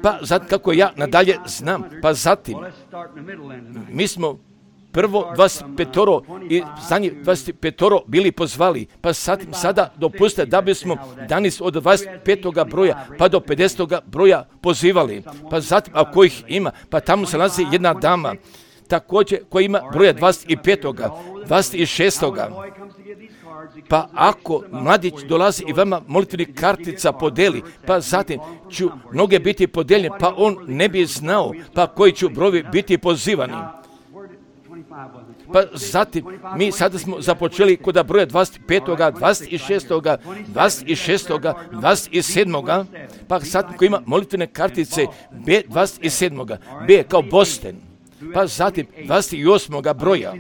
A: Pa zatim, kako ja nadalje znam, pa zatim mi smo prvo dvadeset petoro i zadnji dvadeset petoro bili pozvali, pa sad, sada dopustite da bismo danas od dvadeset petog broja pa do pedesetog broja pozivali. Pa zatim, ako ih ima, pa tamo se nalazi jedna dama, također koja ima broja dvadeset petog, dvadeset šestog. Pa ako mladić dolazi i vama molitveni kartica podeli, pa zatim ću mnoge biti podeljene, pa on ne bi znao, pa koji ću brojevi biti pozivani. Pa zatim, mi sada smo započeli kod broja dvadeset petog, dvadeset šestog, dvadeset šestog, dvadeset sedmog, pa zatim ko ima molitvene kartice B dvadeset sedmog, B kao Boston, pa zatim dvadeset osmog broja,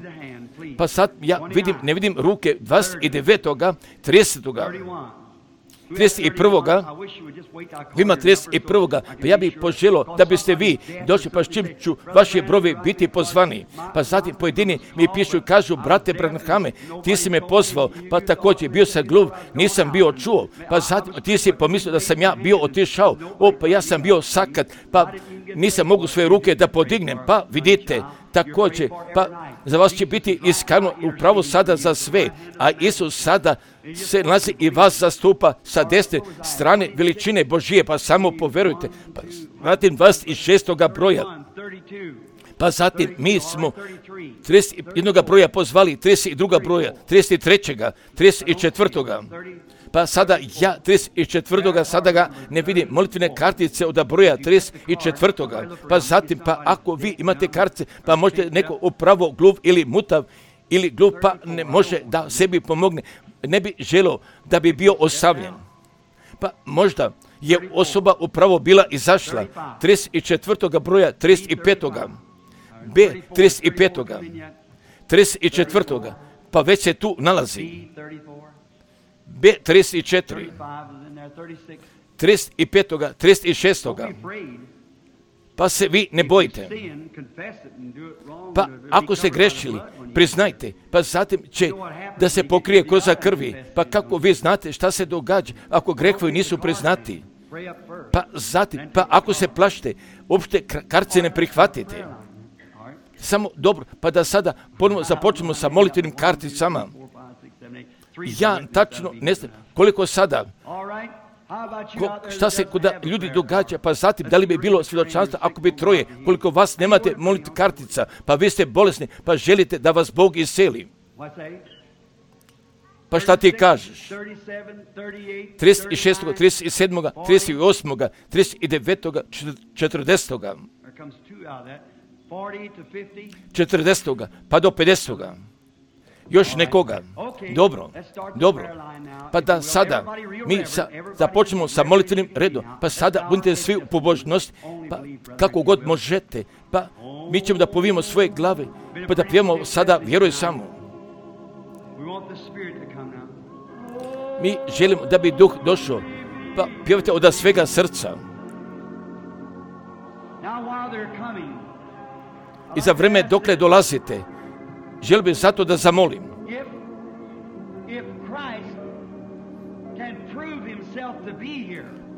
A: pa sad ja vidim, ne vidim ruke dvadeset devetog, tridesetog, trideset prvog. Ima trideset prvog. Pa ja bih poželio da biste vi došli, pa s čim ću vaši brojevi biti pozvani. Pa zatim pojedini mi pišu i kažu, brate Branhame, ti si me pozvao, pa također bio sam gluv, nisam bio čuo. Pa zatim ti si pomislio da sam ja bio otišao, o, pa ja sam bio sakat, pa nisam mogu svoje ruke da podignem. Pa vidite, također, pa za vas će biti iskano upravo sada za sve, a Isus sada se nalazi i vas zastupa sa desne strane veličine Božije, pa samo poverujte. Pa zatim dvadeset šestog broja, pa zatim mi smo trideset jednog broja pozvali, trideset drugog broja, trideset trećeg, trideset četvrtog. Pa sada ja trideset četvrtog sada ga ne vidim, molitvene kartice od broja trideset četvrtog. Pa zatim, pa ako vi imate kartice, pa možete neko upravo gluv ili mutav ili gluv, pa ne može da sebi pomogne, ne bi želio da bi bio osamljen. Pa možda je osoba upravo bila izašla trideset četvrtog broja, trideset petog. B trideset petog. trideset četvrtog. Pa već se tu nalazi. B trideset četiri. trideset petog. trideset šestog. Pa se vi ne bojite. Pa ako ste grešili, priznajte, pa zatim će da se pokrije koza krvi. Pa kako vi znate šta se događa ako grehovi nisu priznati? Pa zatim, pa ako se plašite, uopšte kartice ne prihvatite. Samo dobro, pa da sada ponovno započnemo sa molitvenim karticama. Ja tačno ne znam koliko sada, ko, šta se kod ljudi događa, pa zatim da li bi bilo svjedočanstvo ako bi troje, koliko vas nemate molitvenih kartica, pa vi ste bolesni, pa želite da vas Bog iseli. Pa šta ti kažeš? trideset šestog, trideset sedmog, trideset osmog, trideset devetog, četrdesetog. četrdesetoga pa do pedesetoga. Još nekoga. Dobro, dobro. Pa da sada mi sa, započnemo sa molitvenim redom. Pa sada budite svi u pobožnosti, pa kako god možete. Pa mi ćemo da povijemo svoje glave, pa da pijemo sada vjeruj samo. Mi želimo da bi duh došao, pa pjevajte od svega srca. I za vreme dokle dolazite, želim bih zato da zamolim.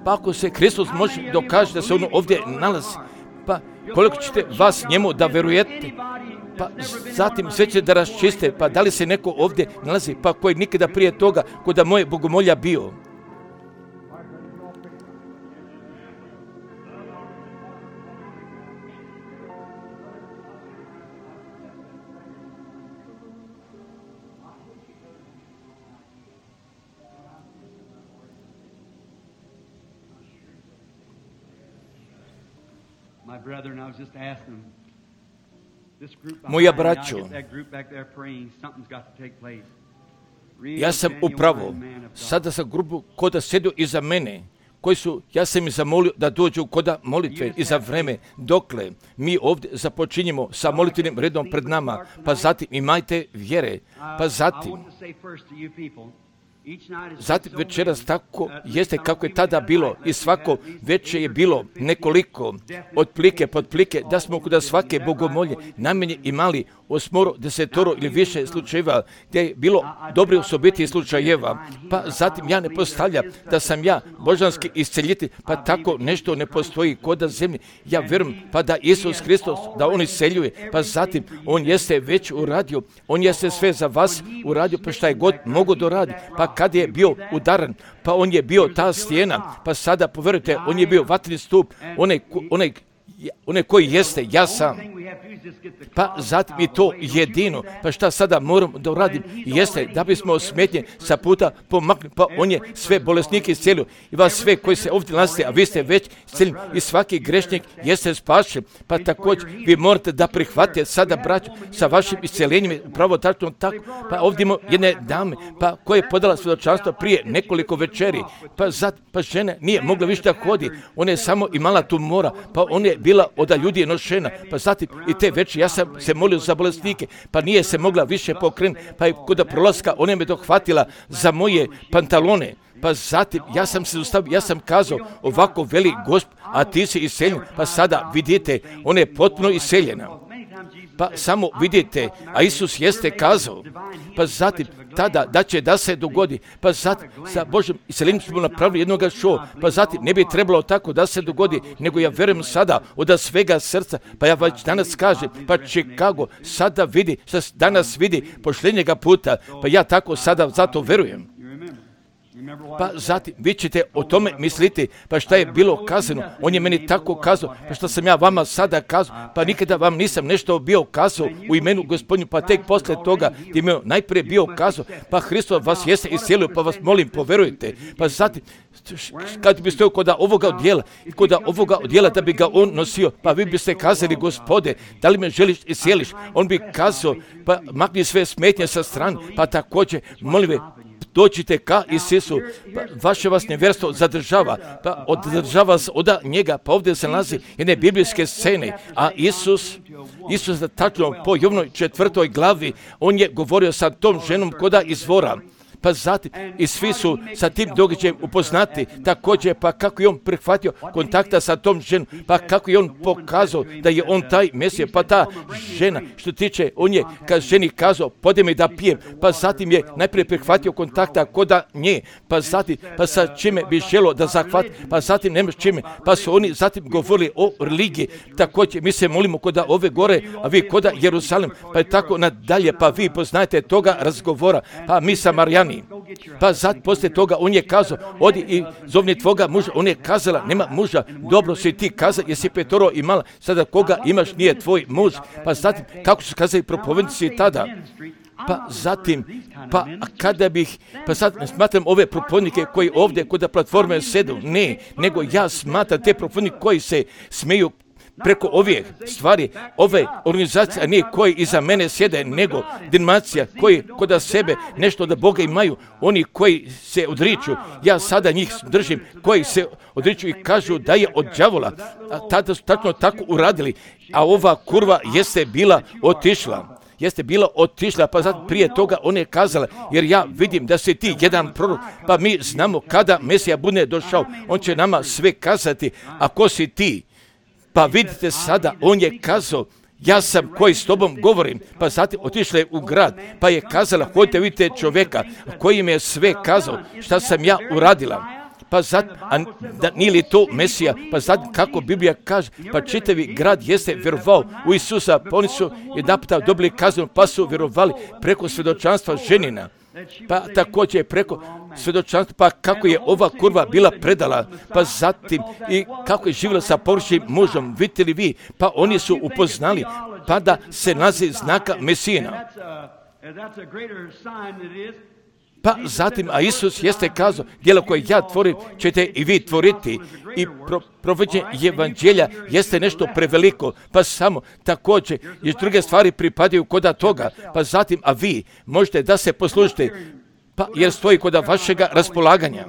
A: Pa ako se Hristos može dokaže da se on ovdje nalazi, pa koliko ćete vas njemu da verujete, pa zatim sve će da raščiste, pa da li se neko ovdje nalazi, pa koji nikada prije toga kod moje bogomolja bio. Moja braćo, ja sam upravo sada sa grupu koda sjedio iza mene, koji su, ja sam ih zamolio da dođu koda molitve i za vreme dokle mi ovdje započinjemo sa molitvenim redom pred nama, pa zatim imajte vjere, pa zatim Zatim večeras tako jeste kako je tada bilo i svako večer je bilo nekoliko od plike pod plike da smo kod svake bogomolje najmanje imali osmoro, desetoro ili više slučajeva gdje je bilo dobri osobiti slučajeva. Pa zatim ja ne postavljam da sam ja božanski isceljitelj, pa tako nešto ne postoji kod zemlje. Ja vjerujem pa da Isus Hristos, da on isceljuje, pa zatim on jeste već uradio, on jeste sve za vas uradio, pa šta je god mogu doradi. Pa kad je bio udaran, pa on je bio ta stijena, pa sada poverujte, on je bio vatreni stup, onaj, onaj, onaj koji jeste, ja sam. Pa zatim i to jedino, pa šta sada moram da uradim, jeste da bismo smetnje sa puta pomakli, pa on je sve bolesnike iscelio i vas sve koji se ovdje nalazite, a vi ste već isceljeni i svaki grešnik jeste spašen, pa također vi morate da prihvatite sada braću sa vašim isceljenjem, upravo tačno tako, pa ovdje imamo jedne dame, pa koja je podala svjedočanstvo prije nekoliko večeri, pa zat, pa žena nije mogla više da hodi, ona je samo imala tumora, pa ona je bila od ljudi nošena, pa zatim i te večer ja sam se molio za bolesnike, pa nije se mogla više pokrenuti, pa je kod prolaska ona me dohvatila za moje pantalone, pa zatim ja sam se ustavio, ja sam kazao ovako veli Gospod, a ti si iseljen, pa sada vidite, ona je potpuno iseljena. Pa samo vidite, a Isus jeste kazao, pa zatim tada da će da se dogodi, pa zatim sa Božim iseljenjem smo napravili jednog show, pa zatim ne bi trebalo tako da se dogodi, nego ja vjerujem sada od svega srca, pa ja već danas kažem, pa Chicago sada vidi, danas vidi pošljenjega puta, pa ja tako sada zato vjerujem. Pa zatim vi ćete o tome misliti, pa šta je bilo kazano, on je meni tako kazao, pa šta sam ja vama sada kazao, pa nikada vam nisam nešto bio kazao u imenu Gospodnju, pa tek posle toga gdje mi je najprije bio kazao, pa Hristos vas jeste iscijelio, pa vas molim poverujte, pa zatim kad bi stojao kod ovoga odjela, kod ovoga odjela da bi ga on nosio, pa vi biste kazali Gospode, da li me želiš iscijeliš, on bi kazao, pa makni sve smetnje sa strane, pa također molim ve, dođite ka Isusu, pa vaše vas nevjerstvo zadržava, pa održava vas od njega, pa ovdje se nalazi jedne biblijske scene, a Isus, Isus tačno po Jovnoj četvrtoj glavi, on je govorio sa tom ženom koda izvora, pa zatim i svi su sa tim događajem upoznati, također pa kako je on prihvatio kontakta sa tom ženom, pa kako je on pokazao da je on taj Mesija, pa ta žena, što tiče, on je kad ženi kazao, pode mi da pijem, pa zatim je najprije prihvatio kontakta koda nje, pa zatim, pa sa čime bi želo da zahvati, pa zatim nema čime, pa su oni zatim govorili o religiji, također mi se molimo koda ove gore, a vi koda Jerusalim, pa je tako nadalje, pa vi poznajete toga razgovora, pa mi Samarijani. Pa sad poslije toga on je kazao, odi i zovni tvoga muža, on je kazala, nema muža, dobro si ti kazao, jesi petoro imala, sada koga imaš nije tvoj muž, pa zatim, kako su kazali propovednici tada, pa zatim, pa kada bih, pa sad ne smatram ove propovednike koji ovdje kod platforme sedu, ne, nego ja smatram te propovednike koji se smeju preko ove stvari, ove organizacije, a nije koji iza mene sjede, nego denominacija koji kod sebe nešto od Boga imaju, oni koji se odriču, ja sada njih držim, koji se odriču i kažu da je od đavola, a tada su tačno tako uradili, a ova kurva jeste bila otišla. Jeste bila otišla, pa zato prije toga ona je kazala, jer ja vidim da si ti jedan prorok, pa mi znamo kada Mesija bude došao, on će nama sve kazati, a ko si ti? Pa vidite sada, on je kazao, ja sam koji s tobom govorim, pa zatim otišla je u grad, pa je kazala, hodite vidite čovjeka koji mi je sve kazao, šta sam ja uradila. Pa zat, a da nije li to Mesija, pa zatim kako Biblija kaže, pa čitavi grad jeste vjerovao u Isusa, pa oni su jedan puta dobili kaznu, pa su vjerovali preko svjedočanstva ženina. Pa također preko svjedočanstva, pa kako je ova kurva bila predala, pa zatim i kako je živjela sa površnim mužom, vidite li vi, pa oni su upoznali, pa da se nalazi znaka Mesijina. Pa zatim, a Isus jeste kazao, djelo koje ja tvorim ćete i vi tvoriti. I pro, provođenje evanđelja jeste nešto preveliko, pa samo također i druge stvari pripadaju koda toga. Pa zatim, a vi možete da se poslužite, pa jer stoji koda vašega raspolaganja.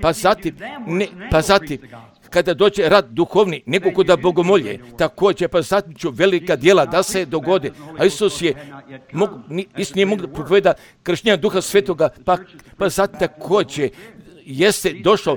A: Pa zatim, ne, pa zatim, kada dođe rad duhovni, nego koda bogomolje, također, pa zatim ću velika djela da se dogode. A Isus je, mog, Isus nije mogu da propoveda krštenja Duha Svetoga, pa, pa zatim također, jeste došao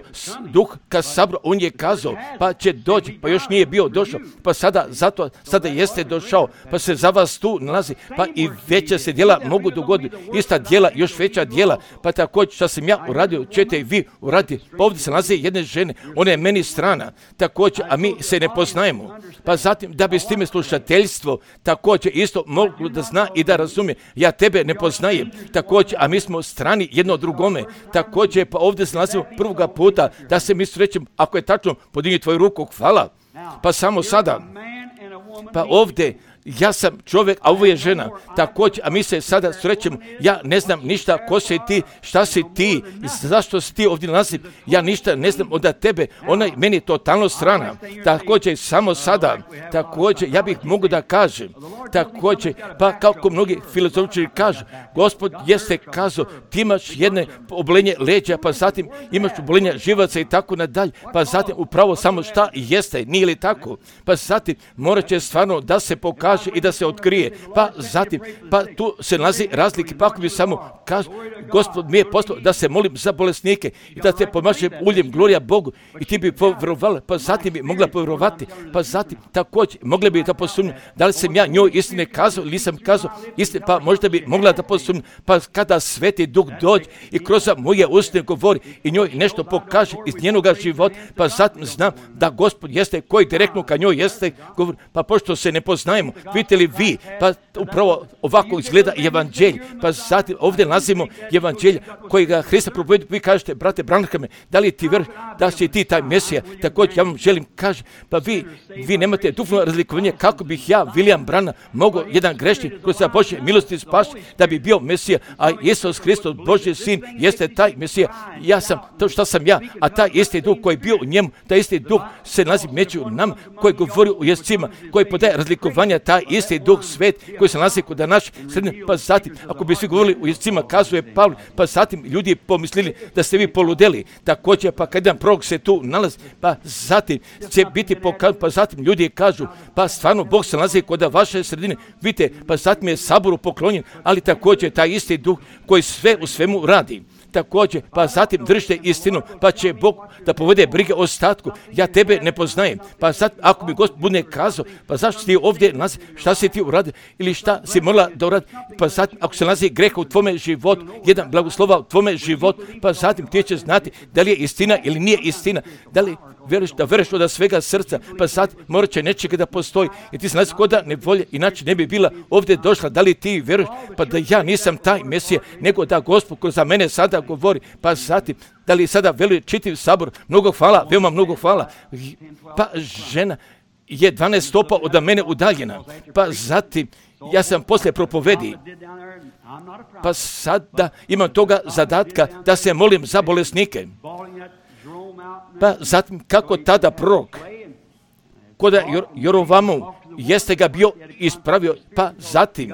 A: duh ka sabru, on je kazao, pa će doći, pa još nije bio došao, pa sada, zato, sada jeste došao, pa se za vas tu nalazi, pa i veća se djela mogu dogoditi, ista djela, još veća djela, pa također što sam ja uradio, ćete i vi uraditi, pa ovdje se nalazi jedne žene, ona je meni strana, također, a mi se ne poznajemo, pa zatim da bi s time slušateljstvo, također isto mogu da zna i da razumije, ja tebe ne poznajem, također, a mi smo strani jedno drugome, također, pa ovdje se nalazimo prvoga puta da se mi srećemo, ako je tačno, podigni tvoju ruku, hvala. Pa samo sada, pa ovdje, ja sam čovjek, a ovo je žena, također, a mi se sada srećemo, ja ne znam ništa, ko si ti, šta si ti, zašto si ti ovdje nalazi, ja ništa ne znam od tebe, ona je meni totalno strana, također, samo sada, također, ja bih mogu da kažem, također, pa kako mnogi filozofičari kažu, Gospod jeste kazao, ti imaš jedne obolenje leđa, pa zatim imaš obolenje živaca i tako nadalje, pa zatim upravo samo šta jeste, nije li tako, pa zatim morat će stvarno da se pokaže i da se otkrije, pa zatim, pa tu se nalazi razlike, pa ako bi samo kaže, Gospod mi je poslao da se molim za bolesnike i da te pomažem uljem, glorija Bogu i ti bi povjerovala, pa zatim bi mogla povjerovati, pa zatim također mogla bi da posumnja, da li sam ja njoj istine kazao ili nisam kazao istine, pa možda bi mogla da posumnja, pa kada Sveti Duh dođe i kroz moje usne govori i njoj nešto pokaže iz njenoga života, pa zatim znam da Gospod jeste koji direktno ka njoj jeste govori, pa pošto se ne poznajemo, vidite li vi, pa upravo ovako izgleda evanđelj, pa zatim ovdje nalazimo evanđelja kojega Hrista propovedi, vi kažete, brate Branhame, da li ti vjeruješ da si ti taj Mesija, također ja vam želim kaži, pa vi, vi nemate duhovno razlikovanje kako bih ja, William Branham, mogao jedan grešnik kroz sa Božje milosti spasti da bi bio Mesija, a Isus Hristos, Božji sin, jeste taj Mesija, ja sam to što sam ja, a taj isti duh koji je bio u njemu, taj isti duh se nalazi među nama, koji govori u jezicima, koji podaje razlikovanja, taj isti duh svet koji se nalazi kod naš srednje, pa zatim, ako bi svi govorili u jezicima, kazuje Pavle, pa zatim ljudi pomislili da ste vi poludeli, također, pa kad jedan prorok se tu nalazi, pa zatim će biti pokazan, pa zatim ljudi kažu, pa stvarno Bog se nalazi kod vaše sredine, vidite, pa zatim je saboru poklonjen, ali također taj isti duh koji sve u svemu radi. Također, pa zatim držite istinu, pa će Bog da povede brige o ostatku. Ja tebe ne poznajem. Pa zatim, ako mi Gospod bude kazao, pa zašto ti ovdje nalazi, šta si ti uradio ili šta si morala da uradi, pa zatim, ako se nalazi greh u tvome životu, jedan blagoslova u tvome životu, pa zatim ti će znati da li je istina ili nije istina, da li vjeruješ da veruješ od svega srca, pa sad morat će nečega da postoji i ti se nalazi kod da ne volje, inače ne bi bila ovdje došla, da li ti veruješ, pa da ja nisam taj Mesija, nego da Gospod koji za mene sada govori, pa zatim, da li sada veli čitav sabor, mnogo hvala, veoma mnogo hvala, pa žena je dvanaest stopa od mene udaljena, pa zatim, ja sam poslije propovedi, pa sada imam toga zadatka da se molim za bolesnike. Pa zatim kako tada prorok Koda Jor, Jorovamu jeste ga bio ispravio, pa zatim,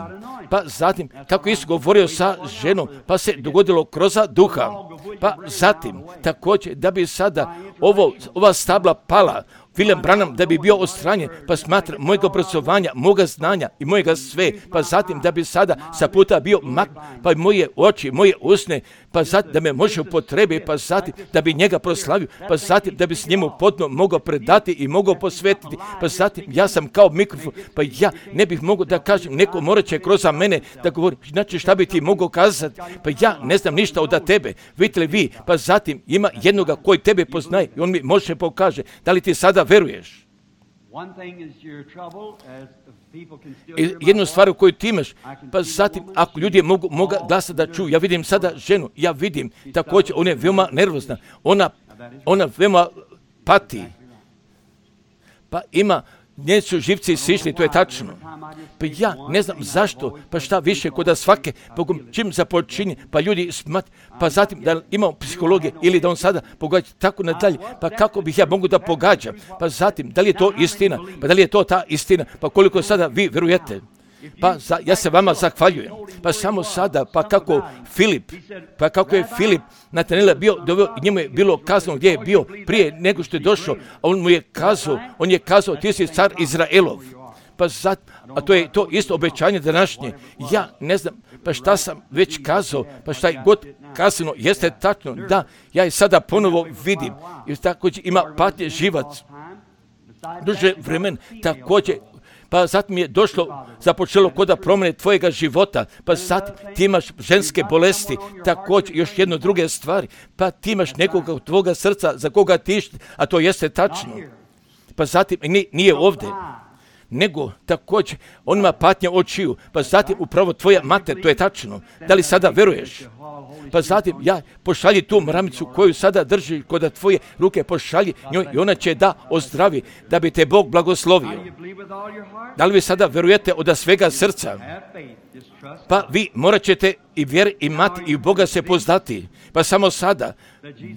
A: pa zatim, kako Isus govorio sa ženom, pa se dogodilo kroz duha, pa zatim, također, da bi sada ovo, ova stabla pala, William Branham da bi bio odstranjen, pa smatra mojega obrazovanja, moga znanja i mojega sve, pa zatim da bi sada sa puta bio mak, pa moje oči, moje usne, pa zatim da me može upotrebi, pa zatim da bi njega proslavio, pa zatim da bi s njemu potpuno mogao predati i mogao posvetiti, pa zatim ja sam kao mikrofon, pa ja ne bih mogao da kažem, neko morat će kroz mene da govori, znači šta bi ti mogao kazati, pa ja ne znam ništa od tebe, vidite li vi, pa zatim ima jednoga koji tebe poznaje i on mi može pokaže, da li ti sada veruješ. I jednu stvar koju ti imaš, pa zatim ako ljudi mogu moga glasa da čuju, ja vidim sada ženu, ja vidim također, ona je veoma nervozna, ona, ona veoma pati, pa ima, njeni su živci sišli, to je tačno. Pa ja ne znam zašto, pa šta više kod svake, pa čim započinje, pa ljudi smat, pa zatim da imamo psihologije ili da on sada pogađa tako nadalje, pa kako bih ja mogu da pogađam, pa zatim da li je to istina, pa da li je to ta istina, pa koliko sada vi verujete. Pa za, ja se vama zahvaljujem. Pa samo sada, pa kako Filip, pa kako je Filip Natanela bio, doveo, njemu je bilo kazano gdje je bio prije nego što je došao, a on mu je kazao, on je kazao, ti si car Izraelov. Pa zat, a to je to isto obećanje današnje. Ja ne znam, pa šta sam već kazao, pa šta je god kazano, jeste tačno, da, ja je sada ponovo vidim, jer također ima patnje živac, duže vremen, također, pa zatim je došlo, započelo kod da promjene tvojega života, pa zatim ti imaš ženske bolesti, također još jedno druge stvari, pa ti imaš nekoga u tvoga srca za koga tiš, a to jeste tačno. Pa zatim nije ovdje, nego također on ima patnje očiju, pa zatim upravo tvoja mater, to je tačno. Da li sada veruješ? Pa zatim ja pošalji tu mramicu koju sada drži kod tvoje ruke, pošalji njoj i ona će da ozdravi, da bi te Bog blagoslovio. Da li vi sada verujete od svega srca? Pa vi morat ćete i vjer imati i u Boga se poznati. Pa samo sada,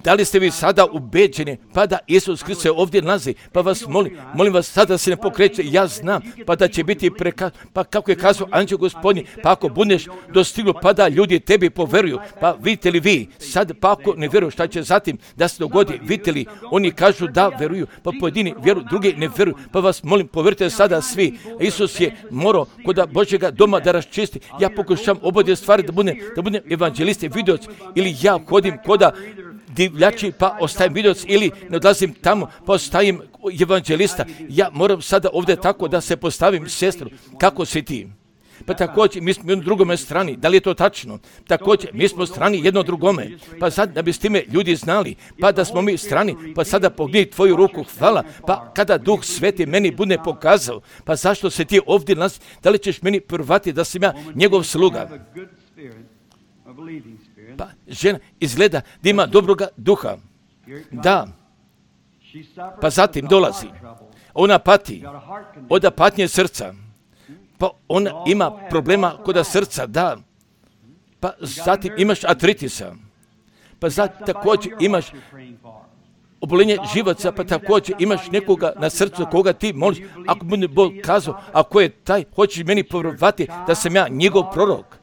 A: da li ste vi sada ubeđeni, pa da Isus Krist se ovdje nalazi, pa vas molim, molim vas sada se ne pokreće, ja znam, pa da će biti preka, pa kako je kazao anđeo Gospodnji, pa ako budeš dostignu, pa da ljudi tebi poveruju, pa vidite li vi, sad pa ako ne vjeruju, šta će zatim da se dogodi, vidite li, oni kažu da veruju, pa pojedini vjeruju, drugi ne vjeruju, pa vas molim, povjerujte sada svi, Isus je morao kod Božjega doma da raščisti, ja pokušam obodje stvari da budem, da budem evanđelist, vidoc, ili ja hodim koda divljači pa ostajem vidoc ili ne odlazim tamo pa ostajem evanđelista. Ja moram sada ovdje tako da se postavim sestru. Kako si ti? Pa također mi smo na drugome strani. Da li je to tačno? Također mi smo strani jedno drugome. Pa sad da bi s time ljudi znali, pa da smo mi strani, pa sada pogledaj tvoju ruku, hvala. Pa kada Duh Sveti meni bude pokazao, pa zašto se ti ovdje nalazi? Da li ćeš meni prvati da sam ja njegov sluga? Pa žena izgleda da ima dobroga duha. Da. Pa zatim dolazi. Ona pati. Od patnje srca. Pa ona ima problema kod srca, da. Pa zatim imaš artritisa. Pa zatim također imaš obolenje živaca, pa također imaš nekoga na srcu koga ti moliš. Ako bude Bog kazao, ako je taj, hoćeš meni povjerovati da sam ja njegov prorok.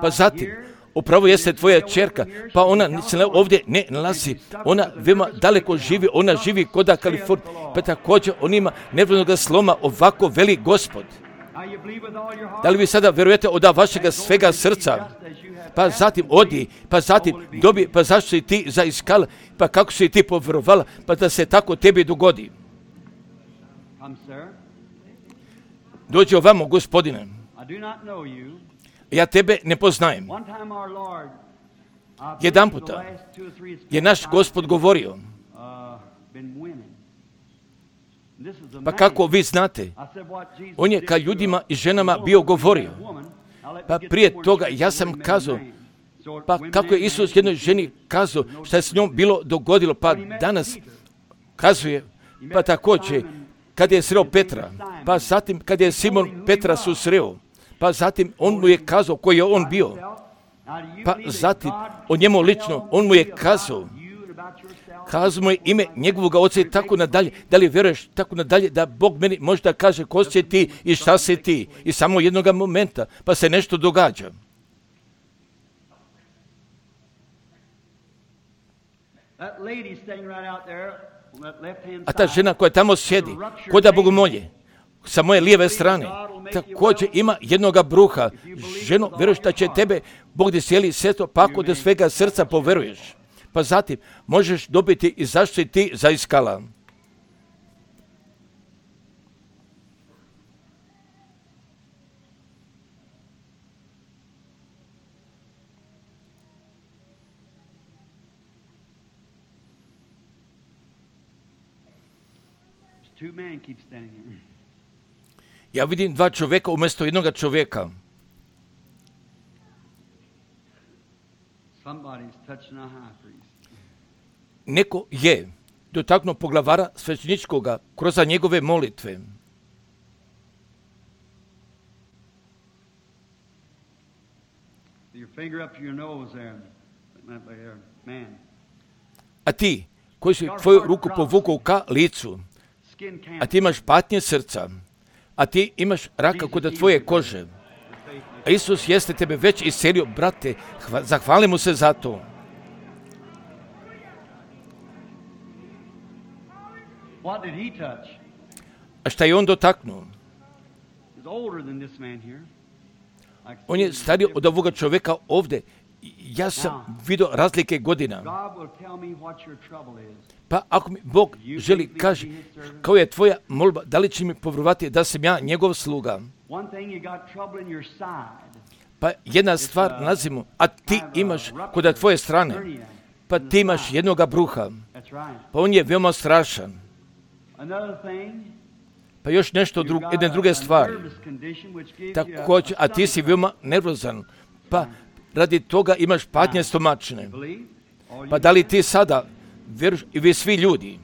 A: Pa zatim, upravo jeste tvoja čerka, pa ona se ovdje ne nalazi, ona veoma daleko živi, ona živi kod Kalifornije, pa također on ima nervnog sloma, ovako veli Gospod. Da li vi sada verujete od vašega svega srca? Pa zatim odi, pa zatim dobi, pa zašto si ti zaiskala, pa kako si ti povjerovala, pa da se tako tebi dogodi. Dođi ovamo, Gospodine. Ja tebe ne poznajem. Jedan puta je naš Gospod govorio, pa kako vi znate, on je ka ljudima i ženama bio govorio. Pa prije toga ja sam kazao, pa kako je Isus jednoj ženi kazao šta je s njom bilo dogodilo, pa danas kazuje, pa također kad je sreo Petra, pa zatim kad je Simon Petra susreo, pa zatim on mu je kazao koji je on bio, pa zatim o njemu lično, on mu je kazao, Kazu mu je ime njegovog oca i tako nadalje. Da li vjeruješ tako nadalje da Bog meni možda kaže ko si ti i šta si ti? I samo jednoga momenta pa se nešto događa. A ta žena koja tamo sjedi, ko da bogomolje, sa moje lijeve strane, također ima jednoga bruha. Ženo, vjeruješ da će tebe Bog da sjeli sveto, pa ako da svega srca poveruješ. Pa zatim možeš dobiti i zašto si ti zaiskala. Ja vidim dva čovjeka umjesto jednoga čovjeka. Neko je dotaknuo poglavara svećeničkoga kroz njegove molitve. A ti, koji si tvoju ruku povukao ka licu, a ti imaš patnje srca, a ti imaš raka kod tvoje kože, a Isus jeste tebe već iscelio, brate, hva, zahvali mu se za to. A šta je on dotaknuo? On je stariji od ovoga čovjeka ovdje. Ja sam vidio razlike godina. Pa ako mi Bog želi, kaže, kao je tvoja molba, da li će mi povjerovati da sam ja njegov sluga? Pa jedna stvar nalazimo, a ti imaš kod tvoje strane, pa ti imaš jednoga bruha, pa on je veoma strašan. Pa još nešto, dru, jedne druge stvari, također, a ti si veoma nervozan, pa radi toga imaš patnje stomačne. Pa da li ti sada vjeruješ i vi svi ljudi?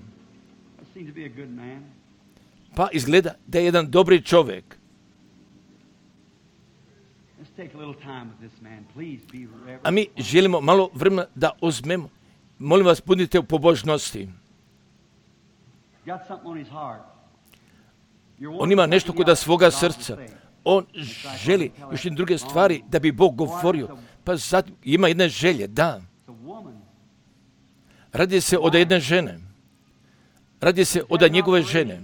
A: Pa izgleda da je jedan dobri čovjek. A mi želimo malo vremena da uzmemo. Molim vas, budite u pobožnosti. On ima nešto kod svoga srca. On želi još i druge stvari da bi Bog govorio. Pa sad ima jedne želje, da. Radi se od jedne žene. Radi se od njegove žene.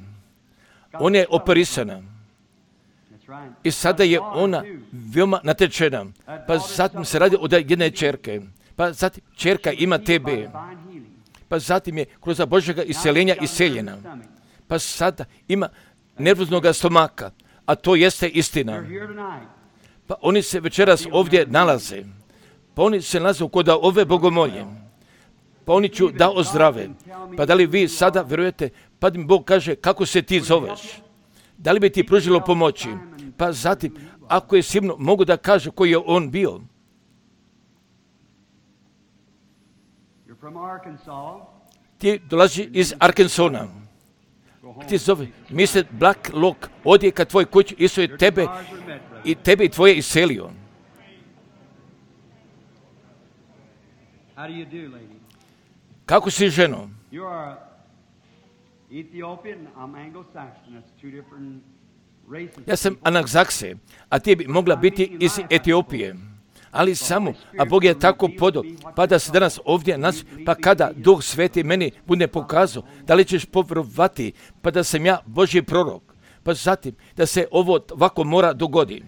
A: Ona je operisana. I sada je ona veoma natečena. Pa zatim se radi od jedne čerke. Pa zatim čerka ima tebe. Pa zatim je kroz Božjega iseljenja iseljena. Pa sada ima nervoznog stomaka. A to jeste istina. Pa oni se večeras ovdje nalaze. Pa oni se nalaze kod ove bogomolje. Pa oni ću da ozdrave. Pa da li vi sada vjerujete, pa mi Bog kaže kako se ti zoveš? Da li bi ti pružilo pomoći? Pa zatim, ako je sigurno, mogu da kaže koji je on bio. Ti dolazi iz Arkansona. Ti zove, mister Black Lock, odje ka tvoj kući, Isus je tebe i tebe i tvoje iselio. Kako si, ženo? Ja sam Anagzakse, a ti bi mogla biti iz Etiopije. Ali samo, a Bog je tako podao, pa da se danas ovdje nas, pa kada Duh Sveti meni bude pokazao, da li ćeš povjerovati, pa da sam ja Božji prorok, pa zatim da se ovo ovako mora dogodi.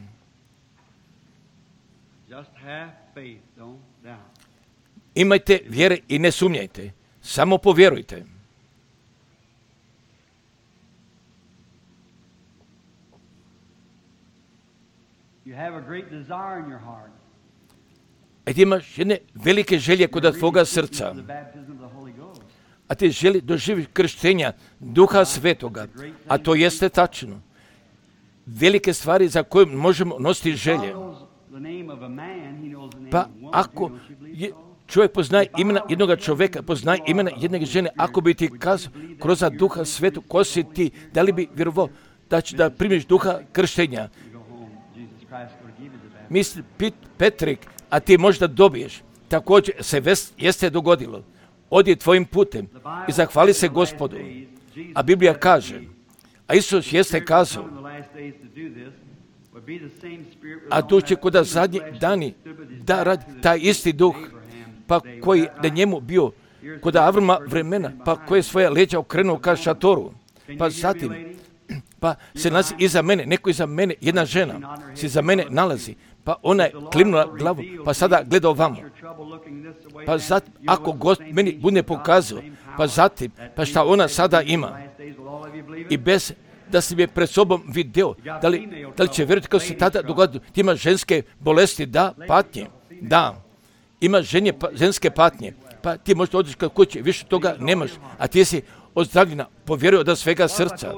A: Imajte vjere i ne sumnjajte, samo povjerujte.
B: You have a great desire in your heart.
A: A ti imaš jedne velike želje kod tvoga srca. A ti želi doživjeti krštenja Duha Svetoga. A to jeste tačno. Velike stvari za koje možemo nositi želje. Pa ako je, čovjek poznaje imena jednog čovjeka, poznaje imena jedne žene, ako bi ti kazao kroz Duha Svetog, ko si ti, da li bi vjerovao da će da primiš Duha krštenja? Misli Petrik, a ti možda dobiješ. Također se vest, jeste dogodilo. odi tvojim putem i zahvali se Gospodu. A Biblija kaže, a Isus jeste kazao, a tu će kuda zadnji dani da radi taj isti duh, pa koji na njemu bio kod Avrama vremena, pa koji je svoje leđa okrenuo ka šatoru, pa zatim, pa se nalazi iza mene, neko iza mene, jedna žena se iza mene nalazi, pa ona je klimnula glavu, pa sada gleda ovamo. Pa zatim, ako Gost meni bude pokazao, pa zatim, pa šta ona sada ima, i bez da si je pred sobom video, da li, da li će vjerovati kako se tada dogodilo, ti ima ženske bolesti, da, patnje, da, ima ženje, pa, ženske patnje, pa ti možda odiš kad kući, više toga nemaš, a ti si ozdravljena, povjeruj od svega srca.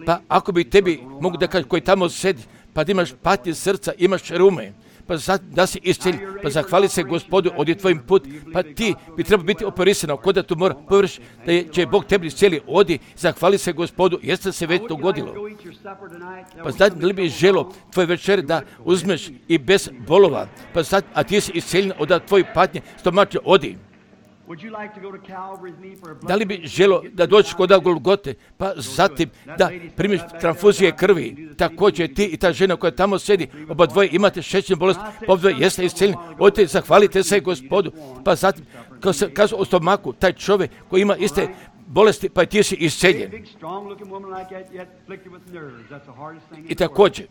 A: Pa ako bi tebi mogu da kažem koji tamo sedi, pa da imaš patnje srca, imaš rume, pa da si iscelj, pa zahvali se Gospodu, odi tvojim put, pa ti bi trebao biti operisano, kod da tu mora povjeriš da je, će Bog tebi iscijeli, odi, zahvali se Gospodu, jeste se već dogodilo. Pa znači da li bi želo tvoje večere da uzmeš i bez bolova, pa znači, a ti si isceljen od tvoje patnje, stomače, odi. Da li bi želo da dođeš kod Golgote, pa zatim da primiš transfuzije krvi, također ti i ta žena koja tamo sedi, oba dvoje imate šećernu bolest, oba dvoje jeste iscijeljeni, odite, zahvalite se Gospodu, pa zatim, kao se kaže o stomaku, taj čovjek koji ima iste bolesti, pa ti si isceljen. I također,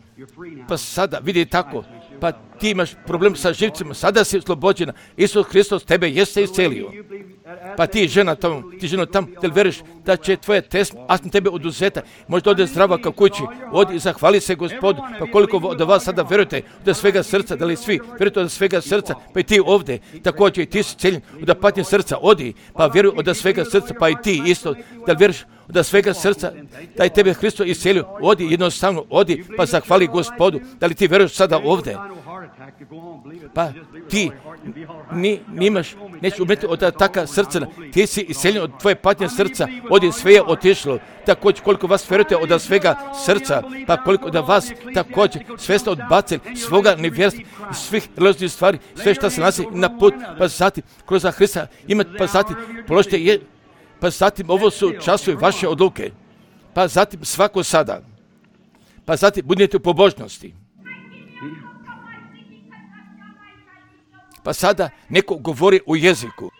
A: pa sada vidi tako, pa ti imaš problem sa živcima, sada si oslobođena, Isus Hristos tebe jeste iscelio. Pa ti žena tamo, ti žena tamo, da li veriš da će tvoje test, astma tebe oduzeta, možda ode zdrava kao kući, odi i zahvali se Gospodu, pa koliko od vas sada verujete od svega srca, da li svi verujete od svega srca, pa i ti ovdje, također i ti si celjen od patnje srca, odi, pa vjeruj od svega srca, pa i ti isto, da li veriš od svega srca, da je tebe Hristos iscelio, odi jednostavno, odi, pa zahvali Gospodu, da li ti veruješ sada ovdje. Pa ti ni, nimaš, nećeš umjeti od taka srca, ti si isceljen od tvoje patnje srca, odi sve je otišlo, također koliko vas verujete od svega srca, pa koliko da vas također sve ste odbacili svoga nevjerstva, svih religijskih stvari, sve što se nalazi na put, pa zatim kroz Hrista imate, pa zatim položite je, pa zatim ovo su časovi vaše odluke, pa zatim svako sada, pa zatim budete u pobožnosti. Pa sada neko govori u jeziku.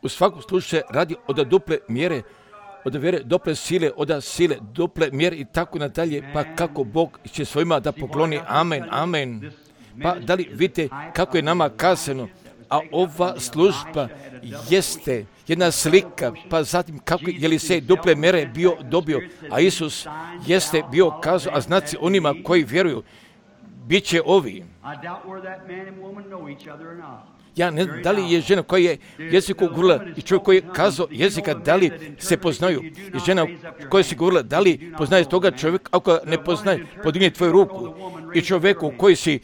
A: U svakom slučaju radi od duple mjere, od vjere duple sile, od sile duple mjere i tako nadalje, pa kako Bog će svojima da pokloni, amen, amen. Pa da li vidite kako je nama kazano, a ova služba jeste jedna slika, pa zatim kako je Elisej duple mjere bio dobio, a Isus jeste bio kazao, a znaci onima koji vjeruju, bit će ovi. Ja ne znam da li je žena koja je jeziku govorila i čovjek koji je kazao jezika, da li se poznaju. I žena koja si govorila, da li poznaje toga čovjeka, ako ne poznaje, podigne tvoju ruku. I čovjeku koji si,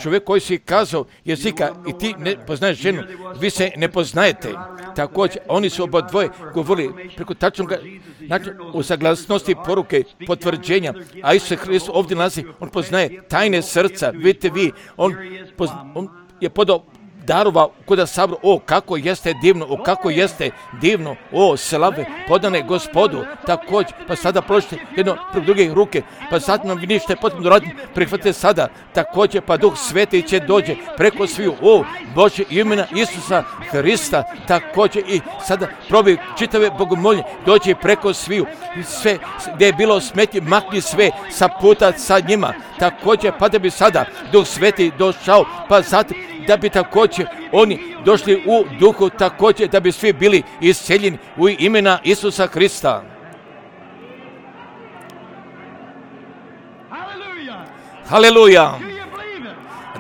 A: čovjek koji si kazao jezika i ti ne poznaješ ženu, vi se ne poznajete. Također, oni su oba dvoje govorili preko tačnog znači, u saglasnosti poruke, potvrđenja, a Isus Hristos ovdje nalazi, on poznaje tajne srca, vidite vi, on, pozna, on je podao darova kuda sabru, o kako jeste divno, o kako jeste divno, o slave podane Gospodu, također, pa sada položite jedno preko druge ruke, pa sad nam vi što je potrebno raditi, prihvatite sada, također, pa Duh Sveti će dođe preko sviju, o Bože imena Isusa Hrista, također i sada probi čitave bogomolje, dođe preko sviju, sve gdje je bilo smetje, makni sve sa puta sa njima, također, pa da bi sada Duh Sveti došao, pa zatim da bi također oni došli u duhu, također da bi svi bili isceljeni u imena Isusa Hrista. Haleluja!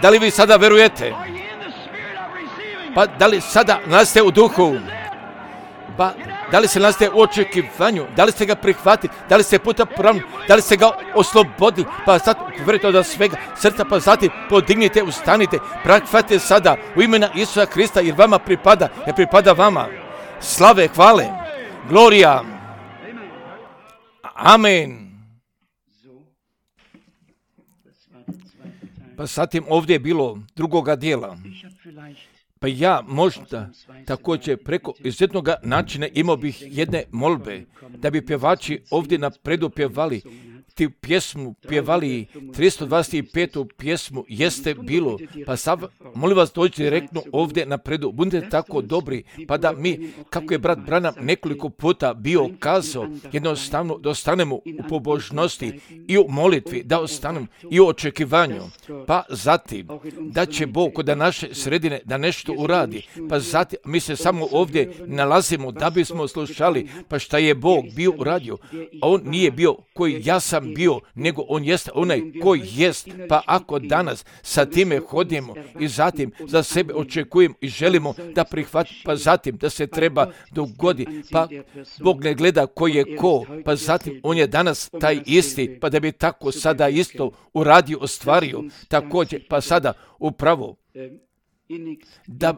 A: Da li vi sada verujete? Pa da li sada nalazite u duhu? Pa da li se nalazite u očekivanju? Da li ste ga prihvatili? Da li ste puta pravni? Da li ste ga oslobodili? Pa sad verujete od svega srca, pa zatim podignite, ustanite, prihvatite sada u imena Isusa Hrista, jer vama pripada, jer pripada vama. Slave, hvale, glorija. Amen. Pa zatim ovdje je bilo drugoga dijela. Pa ja možda također preko izuzetnog načina imao bih jedne molbe, da bi pjevači ovdje napredu pjevali ti pjesmu, pjevali tristo dvadeset petu pjesmu Jeste bilo. Pa sad, molim vas, dođite direktno ovdje napredu, budite tako dobri, pa da mi, kako je brat Branham nekoliko puta bio kazao, jednostavno da ostanemo u pobožnosti i u molitvi, da ostanemo i u očekivanju, pa zatim da će Bog kod naše sredine da nešto uradi, pa zatim mi se samo ovdje nalazimo da bismo slušali, pa šta je Bog bio uradio, a on nije bio koji ja sam bio, nego on jest onaj koji jest, pa ako danas sa time hodimo i zatim za sebe očekujemo i želimo da prihvatimo, pa zatim da se treba dogodi, pa Bog ne gleda ko je ko, pa zatim on je danas taj isti, pa da bi tako sada isto uradio, ostvario, također, pa sada upravo da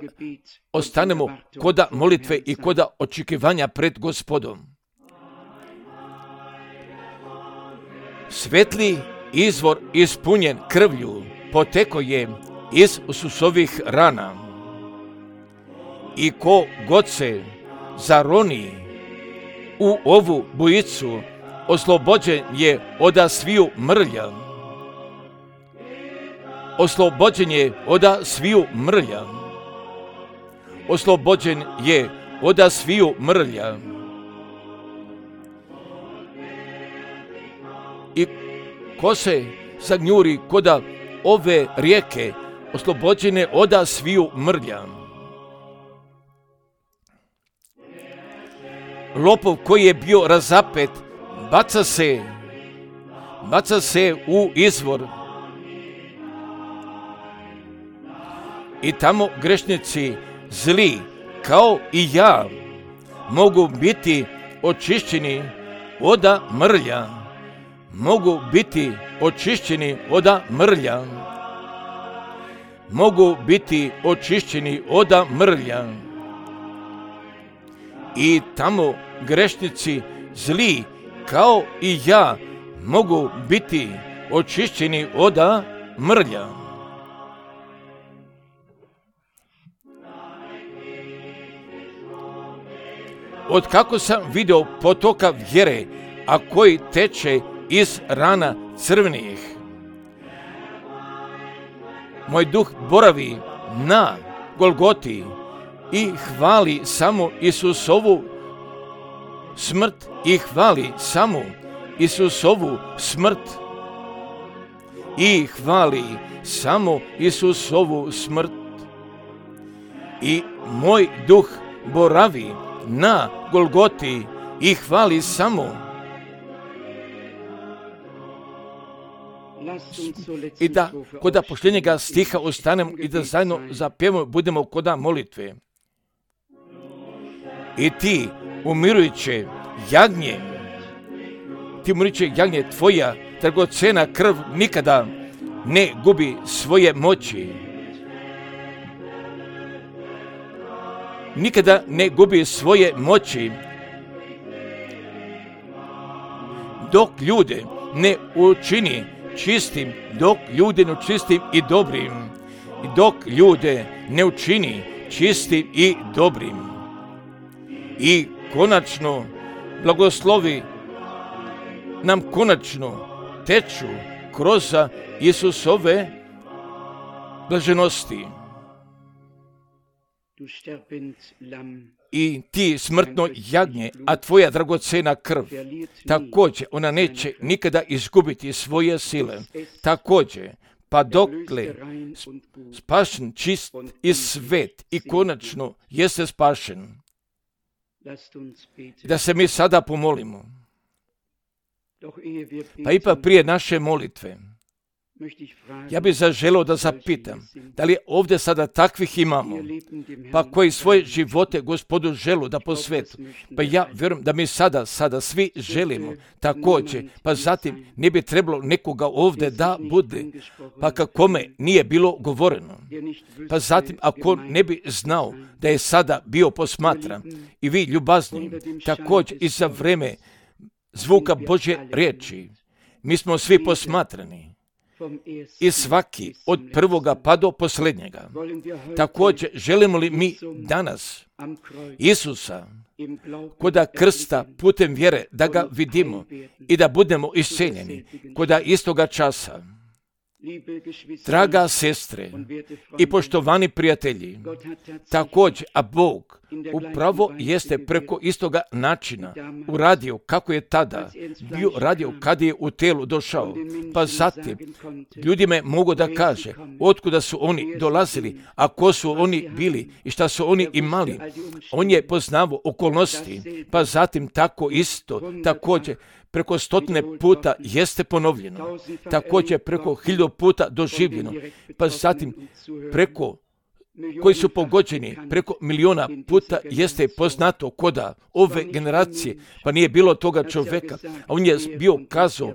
A: ostanemo koda molitve i koda očekivanja pred Gospodom. Svetli izvor ispunjen krvlju poteko je iz Isusovih rana. I ko god se zaroni u ovu bujicu, oslobođen je oda sviju mrlja. Oslobođen je oda sviju mrlja. Oslobođen je oda sviju mrlja. I ko se zagnjuri koda ove rijeke, oslobođene oda sviju mrlja. Lopov koji je bio razapet, baca se, baca se u izvor. I tamo grešnici zli, kao i ja, mogu biti očišćeni oda mrlja. Mogu biti očišćeni oda mrlja. Mogu biti očišćeni oda mrlja. I tamo grešnici zli, kao i ja, mogu biti očišćeni oda mrlja. Od kako sam vidio potoka vjere, a koji teče iz rana crvenih. Moj duh boravi na Golgoti i hvali samo Isusovu smrt i hvali samo Isusovu smrt i hvali samo Isusovu smrt. I moj duh boravi na Golgoti i hvali samo i da kod posljednjega stiha ostanemo i da zajedno zapjevamo, budemo kod molitve. I ti, umirujuće jagnje, ti umirujuće jagnje, tvoja dragocena krv nikada ne gubi svoje moći. Nikada ne gubi svoje moći. Dok ljude ne učini čistim, dok ljude ne učistim i dobrim, i dok ljude ne učini čistim i dobrim. I konačno blagoslovi nam konačno teču kroz Isusove blaženosti. I ti smrtno jagnje, a tvoja dragocena krv, također ona neće nikada izgubiti svoje sile. Također, pa dokle spašen, čist i svet i konačno jeste spašen. Da se mi sada pomolimo. Pa ipak prije naše molitve, ja bih zaželio da zapitam, da li ovdje sada takvih imamo, pa koji svoje živote Gospodu želu da posvetu. Pa ja vjerujem da mi sada, sada svi želimo također, pa zatim ne bi trebalo nekoga ovdje da bude, pa kakome nije bilo govoreno. Pa zatim ako ne bi znao da je sada bio posmatran i vi ljubazni, također i za vreme zvuka Božje riječi, mi smo svi posmatrani. I svaki od prvoga pa do posljednjega. Također, želimo li mi danas Isusa koda krsta putem vjere da ga vidimo i da budemo isceljeni koda istoga časa. Draga sestre i poštovani prijatelji, također, a Bog upravo jeste preko istoga načina uradio kako je tada bio radio kad je u telu došao. Pa zatim ljudima mogu da kaže otkuda su oni dolazili, a ko su oni bili i šta su oni imali. On je poznavao okolnosti, pa zatim tako isto, također preko stotine puta jeste ponovljeno, također preko hiljadu puta doživljeno, pa zatim preko koji su pogođeni, preko miliona puta jeste poznato koda ove generacije, pa nije bilo toga čovjeka, a on je bio kazao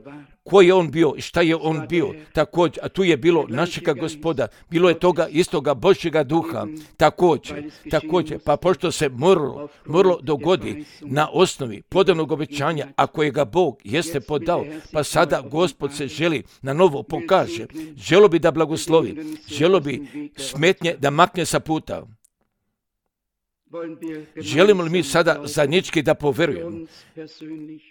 A: ko je on bio i šta je on bio, također, a tu je bilo našega Gospoda, bilo je toga istoga Božjega duha, također, također, pa pošto se moralo, moralo dogodi na osnovi podanog obećanja, a kojega Bog jeste podao, pa sada Gospod se želi na novo pokaže, želo bi da blagoslovi, želo bi smetnje da makne sa puta. Želimo li mi sada zajednički da poverujemo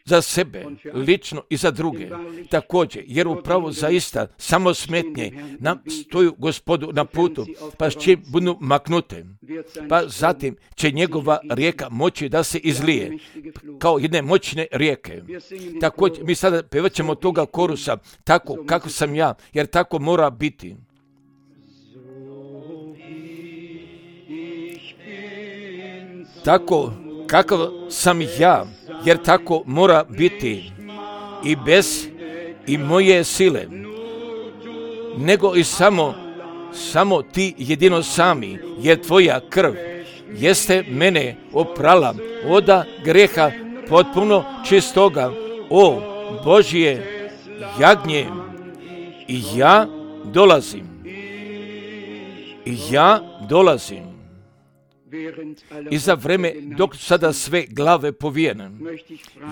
A: za sebe, lično i za druge, također, jer upravo zaista samo smetnje nam stoju Gospodu na putu, pa s čim budu maknute, pa zatim će njegova rijeka moći da se izlije, kao jedne moćne rijeke. Također, mi sada pevat ćemo toga korusa, tako kako sam ja, jer tako mora biti. Tako kakav sam ja, jer tako mora biti i bez i moje sile, nego i samo, samo ti jedino sami, jer tvoja krv jeste mene oprala oda greha potpuno čistoga, o Božje jagnje, i ja dolazim, i ja dolazim. I za vreme dok sada sve glave povijene,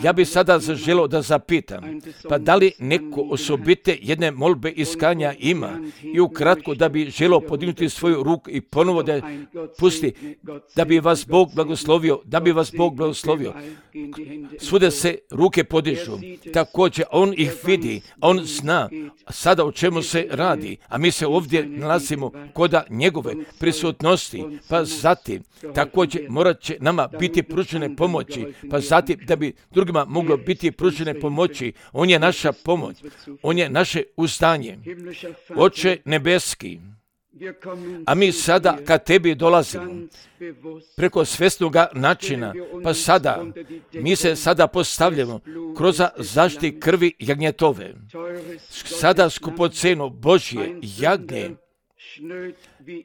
A: ja bi sada zaželio da zapitam, pa da li neko osobite jedne molbe iskanja ima i ukratko da bi želio podignuti svoju ruku i ponovo da pusti, da bi vas Bog blagoslovio, da bi vas Bog blagoslovio. Svude se ruke podižu, također on ih vidi, on zna sada o čemu se radi, a mi se ovdje nalazimo koda njegove prisutnosti, pa zatim također morat će nama biti pružene pomoći, pa zatim da bi drugima moglo biti pružene pomoći. On je naša pomoć, on je naše uzdanje. Oče nebeski, a mi sada kad tebi dolazimo preko svjesnoga načina, pa sada mi se sada postavljamo kroz zaštiti krvi jagnjetove. Sada skupoceno Božje jagnje,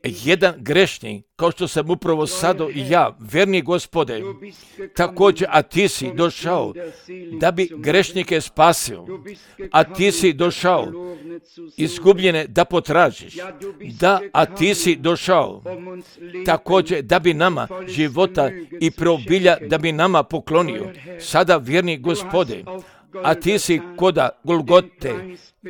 A: jedan grešnik, kao što sam upravo sada i ja, verni Gospode, također, a ti si došao da bi grešnike spasio, a ti si došao izgubljene da potražiš, da, a ti si došao također da bi nama života i preobilja da bi nama poklonio. Sada, vjerni Gospode, a ti si koda Golgote,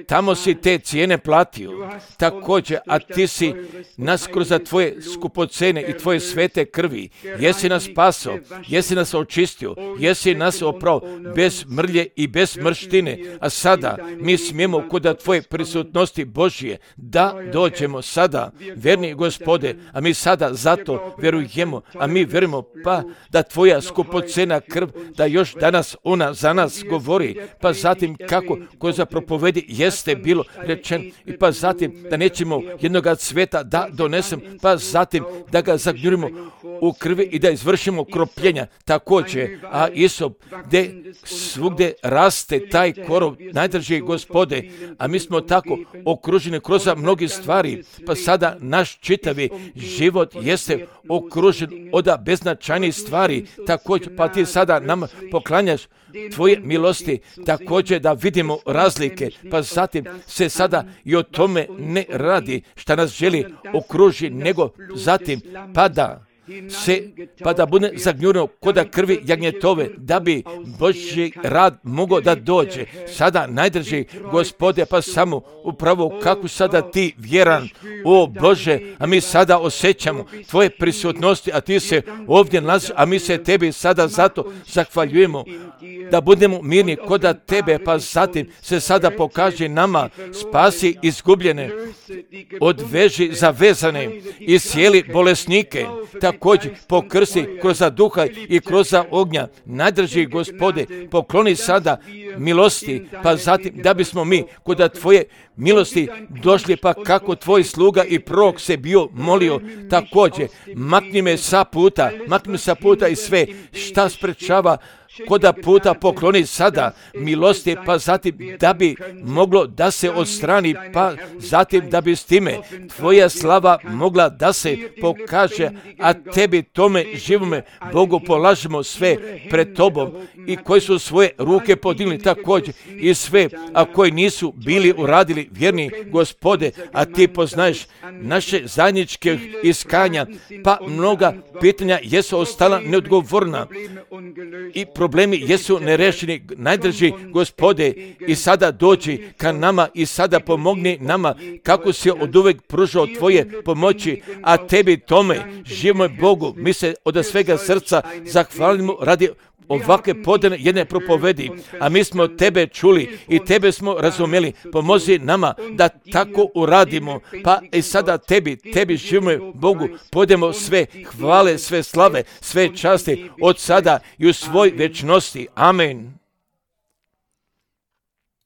A: tamo si te cijene platio, također, a ti si nas kroz tvoje skupocene i tvoje svete krvi, jesi nas spasao, jesi nas očistio, jesi nas oprao bez mrlje i bez mrštine, a sada mi smijemo kod tvoje prisutnosti Božje da dođemo sada, verni Gospode, a mi sada zato vjerujemo, a mi vjerujemo pa da tvoja skupocena krv, da još danas ona za nas govori, pa zatim kako ko za propovedi jeste bilo rečeno, i pa zatim da nećemo jednoga cveta da donesem, pa zatim da ga zagnjurimo u krvi i da izvršimo kropljenja također, a Isop, gdje svugdje raste taj korov, najdraži Gospode, a mi smo tako okruženi kroz mnogi stvari, pa sada naš čitavi život jeste okružen od beznačajnih stvari, također, pa ti sada nam poklanjaš tvoje milosti, također da vidimo razlike, pa zatim se sada i o tome ne radi šta nas želi okruži, nego zatim pada se, pa da bude zagnjureno koda krvi jagnjetove, da bi Božji rad mogao da dođe. Sada, najdrži Gospode, pa samo upravo kako sada ti vjeran, o Bože, a mi sada osjećamo tvoje prisutnosti, a ti se ovdje nalaziš, a mi se tebi sada zato zahvaljujemo, da budemo mirni koda tebe, pa zatim se sada pokaže nama, spasi izgubljene, odveži zavezane, iscijeli bolesnike, također pokrsti kroz duha i kroz ognja. Najdrži Gospode, pokloni sada milosti, pa zatim da bismo mi kod tvoje milosti došli, pa kako tvoj sluga i prorok se bio molio, također makni me sa puta, makni me sa puta i sve šta sprečava koda puta, pokloni sada milosti, pa zatim da bi moglo da se odstrani, pa zatim da bi s time tvoja slava mogla da se pokaže, a tebi tome živome Bogu polažemo sve pred tobom, i koji su svoje ruke podigli također i sve, a koji nisu bili uradili, vjerni Gospode, a ti poznaješ naše zajedničke iskanja, pa mnoga pitanja jesu ostala neodgovorna i problemi jesu nerešeni. Najdrži Gospode, i sada dođi ka nama i sada pomogni nama kako si od uvek pružao tvoje pomoći, a tebi tome živimo Bogu. Mi se od svega srca zahvalimo radi ovakve podane jedne propovedi, a mi smo tebe čuli i tebe smo razumjeli. Pomozi nama da tako uradimo, pa i sada tebi, tebi živimo Bogu, podemo sve hvale, sve slave, sve časti od sada i u svoj večnosti. Amen.